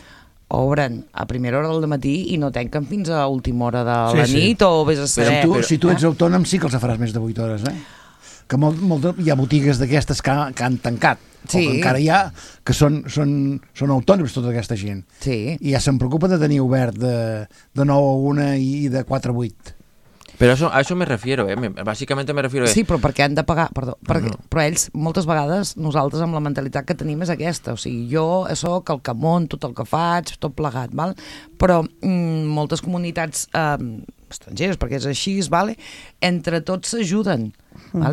obren a primera hora del matí i no tanquen fins a última hora de la nit o vés a saber. Si tu ets autònom sí que els faràs més de 8 hores, que hi ha botigues d'aquestes que han tancat, o que encara hi ha, que són autònoms tota aquesta gent, i ja se'n preocupa de tenir obert de 9 a 1 i de 4 a 8. Però a això me refiero, bàsicament me refiero... Sí, però perquè han de pagar, però ells, moltes vegades, nosaltres amb la mentalitat que tenim és aquesta, o sigui, jo soc el que munto, tot el que faig, tot plegat, però moltes comunitats estrangeres, perquè és així, entre tots s'ajuden,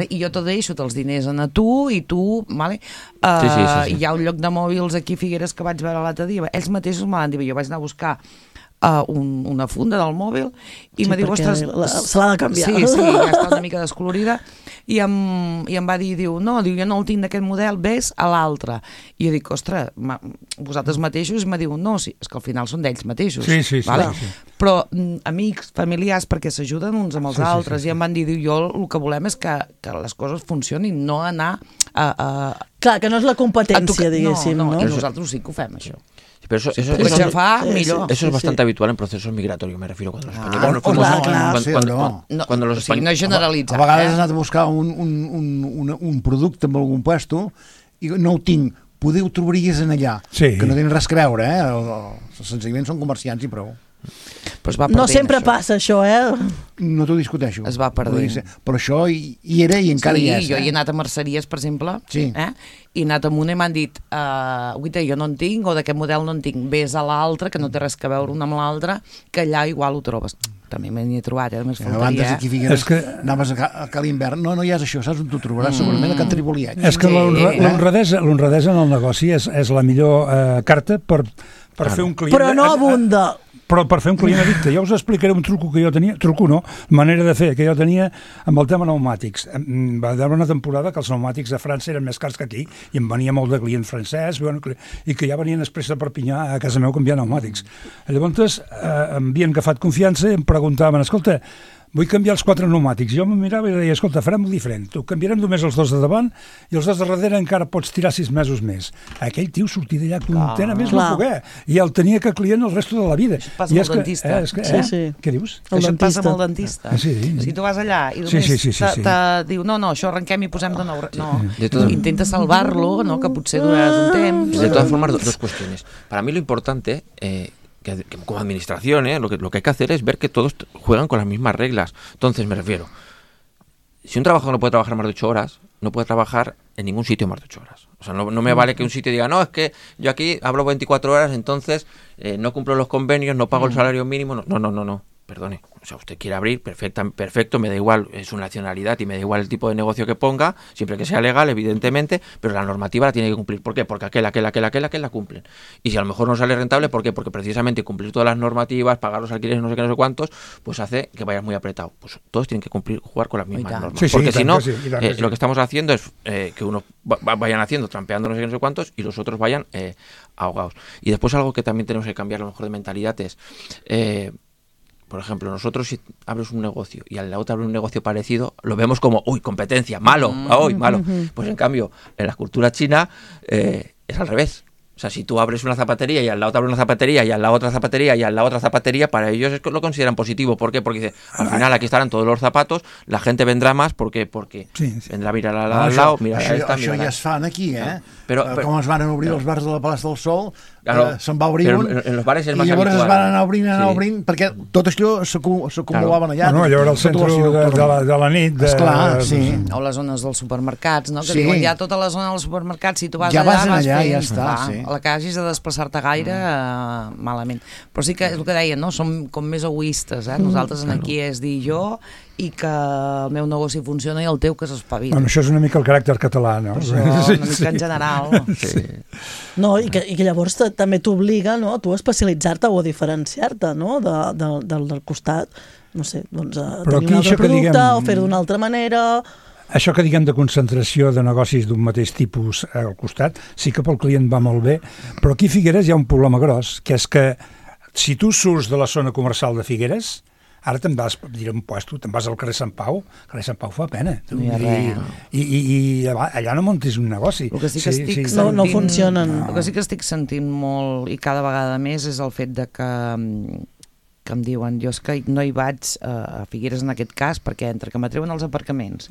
i jo te deixo els diners a tu i tu, hi ha un lloc de mòbils aquí a Figueres que vaig veure l'altre dia, ells mateixos me van dir, jo vaig anar a buscar una funda del mòbil i me diu, ostres, se l'ha de canviar. Sí, ja està una mica descolorida i em va dir, jo no el tinc d'aquest model, ves a l'altre. I jo dic, ostres, vosaltres mateixos, i me diu, no, sí, és que al final són d'ells mateixos. Sí. Però amics, familiars, perquè s'ajuden uns amb els altres, i em van dir, jo el que volem és que les coses funcionin, no anar a... Clar, que no és la competència, diguéssim. No, i nosaltres sí que ho fem, això. Pero eso es bastante habitual en procesos migratorios, me refiero, cuando los españoles... No generalitzar. A vegades has anat a buscar un producte en algun puesto i no ho tinc, poder ho trobaries en allà, que no tenen res a veure, senzillament són comerciants i prou. No sempre passa això, No t'ho discuteixo. Es va perdent. Però això hi era i encara hi és. Jo he anat a merceries, per exemple, i he anat a una i m'han dit, jo no en tinc, o d'aquest model no en tinc, vés a l'altre, que no té res a veure una amb l'altra, que allà igual ho trobes. També m'he trobat, només faltaria. Abans aquí a Figueres anaves a Cal Invern, no hi és això, saps on t'ho trobaràs segurament a Can Triboliet. És que l'honradesa en el negoci és la millor carta per fer un client... Però no abunda. Però per fer un client addicte, jo us explicaré un truco que jo tenia, manera de fer que jo tenia amb el tema pneumàtics. Va haver una temporada que els pneumàtics a França eren més cars que aquí i em venia molt de client francès i que ja venien després de Perpinyà a casa meu a canviar pneumàtics. Llavors em havien agafat confiança i em preguntaven, escolta, vull canviar els 4 pneumàtics. Jo me mirava i deia, escolta, farem-ho diferent. Tu canviarem només els 2 de davant i els 2 de darrere encara pots tirar 6 mesos més. Aquell tio sortia d'allà content a més no poder. I el tenia que client el resto de la vida. Això passa amb el dentista. Què dius? Això passa amb el dentista. Si tu vas allà i només te diu, no, això arrenquem i posem de nou. No, intenta salvar-lo, que potser duraràs un temps. De todas formas, dos cuestiones. Para mí lo importante... Que como administración, lo que hay que hacer es ver que todos juegan con las mismas reglas. Entonces, me refiero, si un trabajador no puede trabajar más de 8 horas, no puede trabajar en ningún sitio más de 8 horas. O sea, no me vale que un sitio diga, no, es que yo aquí hablo 24 horas, entonces no cumplo los convenios, no pago el salario mínimo. No. Perdone, o sea, usted quiere abrir, perfecto, me da igual su nacionalidad y me da igual el tipo de negocio que ponga, siempre que sea legal, evidentemente, pero la normativa la tiene que cumplir. ¿Por qué? Porque aquel la cumplen. Y si a lo mejor no sale rentable, ¿por qué? Porque precisamente cumplir todas las normativas, pagar los alquileres, no sé qué, no sé cuántos, pues hace que vayas muy apretado. Pues todos tienen que jugar con las mismas normas. Porque si no, lo que estamos haciendo es que unos vayan haciendo, trampeando no sé qué, no sé cuántos, y los otros vayan ahogados. Y después algo que también tenemos que cambiar a lo mejor de mentalidad es... por ejemplo, nosotros si abres un negocio y al lado te abre un negocio parecido, lo vemos como, uy, competencia, malo. Pues en cambio, en la cultura china es al revés. O sea, si tú abres una zapatería y al lado te abre una zapatería y al lado otra zapatería y al lado otra zapatería, para ellos lo consideran positivo. ¿Por qué? Porque dice, al final aquí estarán todos los zapatos, la gente vendrà más porque vendrà a mirar al lado, mirar a esta, Això ja es fan aquí, com es van obrir els bars de la Plaça del Sol, se'n va obrir un, en los bares és més i llavors habitual. es van anar obrint, perquè tot això s'acumulaven allà. Allò era el centre de la nit. Esclar, sí. O les zones dels supermercats, que diuen ja tota la zona dels supermercats, si tu vas allà, vas fent, ja està, a la que hagis de desplaçar-te gaire, malament. Però sí que és el que deien, som com més egoistes, nosaltres aquí és dir jo i que el meu negoci funciona i el teu que s'espavila. Bueno, això és una mica el caràcter català, no? Això, una mica en general. Sí. No, i que llavors també t'obliga, no?, tu a especialitzar-te o a diferenciar-te, no?, del costat, no sé, doncs a tenir un altre producte o fer-ho d'una altra manera. Això que diguem de concentració de negocis d'un mateix tipus al costat, sí que pel client va molt bé, però aquí a Figueres hi ha un problema gros, que és que si tu surts de la zona comercial de Figueres, ara te'n vas, diré un puesto, te'n vas al carrer Sant Pau, el carrer Sant Pau fa pena. No hi ha res. I allà no muntis un negoci. El que sí que estic sentint, no funcionen. El que sí que estic sentint molt, i cada vegada més, és el fet de que em diuen, jo és que no hi vaig a Figueres en aquest cas, perquè entre que m'atreuen els aparcaments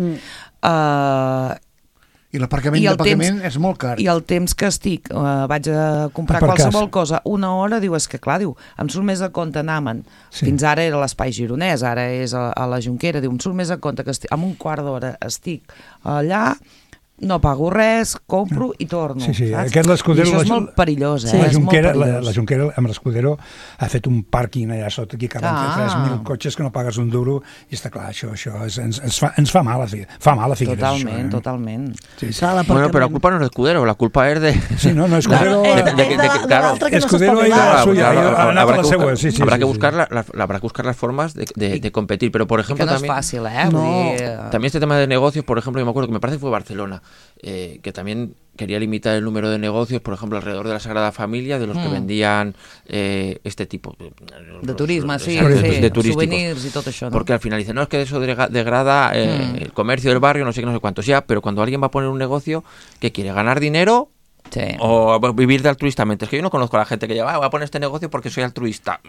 i l'aparcament d'aparcament és molt car. I el temps que estic, vaig a comprar qualsevol cosa, una hora, diu, és que clar, diu, em surt més a compte anar-me'n. Fins ara era l'Espai Gironès, ara és a la Jonquera, diu, em surt més a compte que en un quart d'hora estic allà, no pago res, compro i torno. Sí, aquest l'Escudero... I això és molt perillós, La Jonquera amb l'Escudero ha fet un pàrquing allà sota, aquí caben 3.000 cotxes que no pagues un duro, i està clar, això ens fa mal a Figueres. Totalment. Bueno, pero la culpa no es de Escudero, la culpa es de... Sí, no, Escudero... Escudero habrá que buscar las formas de competir, pero por ejemplo también... Que no es fácil, También este tema de negocios, por ejemplo, yo me acuerdo que me parece que fue Barcelona, que también quería limitar el número de negocios, por ejemplo, alrededor de la Sagrada Familia, de los que vendían este tipo de turismo, de souvenirs y todo eso, ¿no? Porque al final dicen, no, es que eso degrada el comercio del barrio, no sé qué, no sé cuántos, ya, pero cuando alguien va a poner un negocio que quiere ganar dinero o vivir de altruistamente, es que yo no conozco a la gente que lleva, voy a poner este negocio porque soy altruista,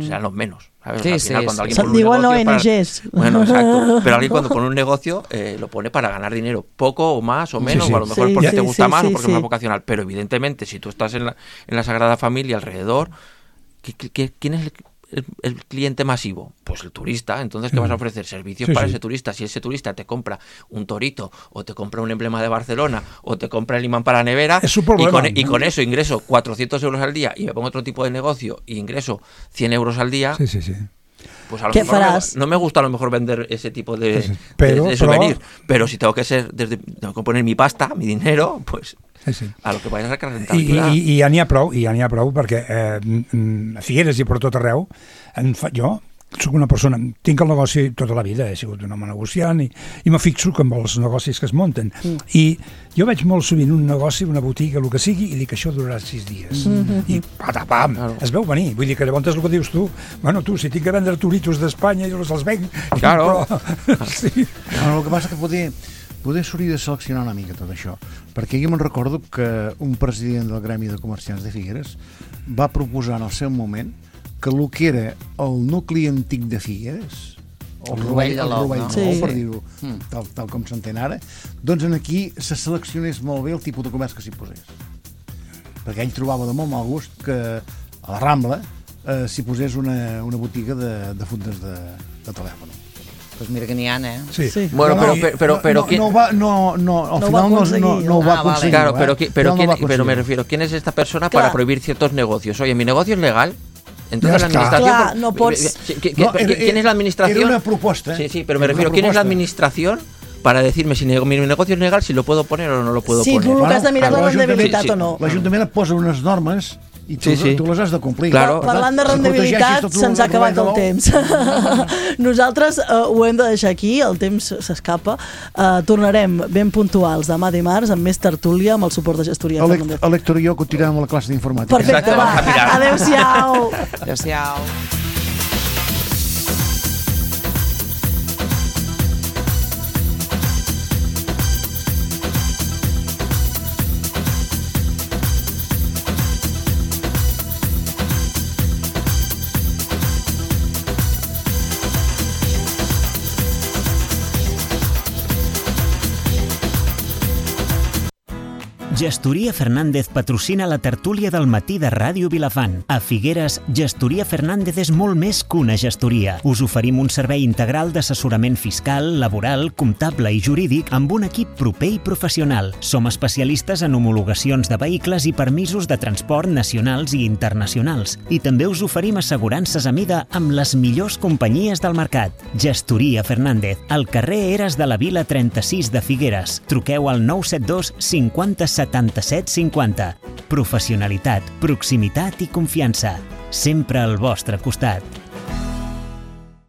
sean los menos, ¿sabes? Al final, cuando alguien pone un negocio bueno, exacto, pero alguien cuando pone un negocio lo pone para ganar dinero, poco o más o menos, o a lo mejor porque te gusta más o porque es más vocacional, pero evidentemente si tú estás en la Sagrada Familia alrededor, ¿quién es el cliente masivo? Pues el turista. Entonces, ¿qué vas a ofrecer? Servicios para ese turista. Si ese turista te compra un torito o te compra un emblema de Barcelona o te compra el imán para la nevera, es su problema, y con eso ingreso 400 euros al día y me pongo otro tipo de negocio y ingreso 100 euros al día, pues a lo mejor no me gusta a lo mejor vender ese tipo de souvenir, pero si tengo que poner mi pasta, mi dinero, pues a lo que vayas a sacar rentabilitat. I ja n'hi ha prou perquè a Figueres i per tot arreu jo soc una persona, tinc el negoci tota la vida, he sigut un home negociant i me fixo amb els negocis que es munten i jo veig molt sovint un negoci, una botiga, el que sigui, i dic que això durarà 6 dies i patapam, es veu venir, vull dir que llavors el que dius tu, bueno, tu, si tinc que vendre toritos d'Espanya jo els venc, claro. El que passa que poder s'hauria de seleccionar una mica tot això, perquè jo me'n recordo que un president del Gremi de Comerciants de Figueres va proposar en el seu moment que el que era el nucli antic de Figueres, el Rovell de l'Ou, per dir-ho tal com s'entén ara, doncs aquí se seleccionés molt bé el tipus de comerç que s'hi posés, perquè ell trobava de molt mal gust que a la Rambla s'hi posés una botiga de fundes de telèfon. Pues mira que n'hi ha, Sí. Bueno, pero al final no ho va aconseguir. Claro, pero me refiero, ¿quién es esta persona para prohibir ciertos negocios? Oye, mi negocio es legal. Entonces la administración... ¿Quién es la administración? Era una propuesta. Sí, pero me refiero, ¿quién es la administración para decirme si mi negocio es legal, si lo puedo poner o no lo puedo poner? Sí, tu el que has de mirar la rendibilitat o no. L'Ajuntament et posa unes normes i tu les has de complir. Claro. Parlant de rendibilitat, se'ns ha acabat el temps. Nosaltres ho hem de deixar aquí, el temps s'escapa. Tornarem ben puntuals demà dimarts amb més tertúlia, amb el suport de gestoria. L'Héctor i jo continuem amb la classe d'informàtica. Perfecte, va. Adéu-siau. Adéu-siau. Gestoria Fernández patrocina la tertúlia del matí de Ràdio Vilafant. A Figueres, Gestoria Fernández és molt més que una gestoria. Us oferim un servei integral d'assessorament fiscal, laboral, comptable i jurídic amb un equip proper i professional. Som especialistes en homologacions de vehicles i permisos de transport nacionals i internacionals. I també us oferim assegurances a mida amb les millors companyies del mercat. Gestoria Fernández, al carrer Eres de la Vila 36 de Figueres. Truqueu al 972 50 77 50. Professionalitat, proximitat i confiança. Sempre al vostre costat.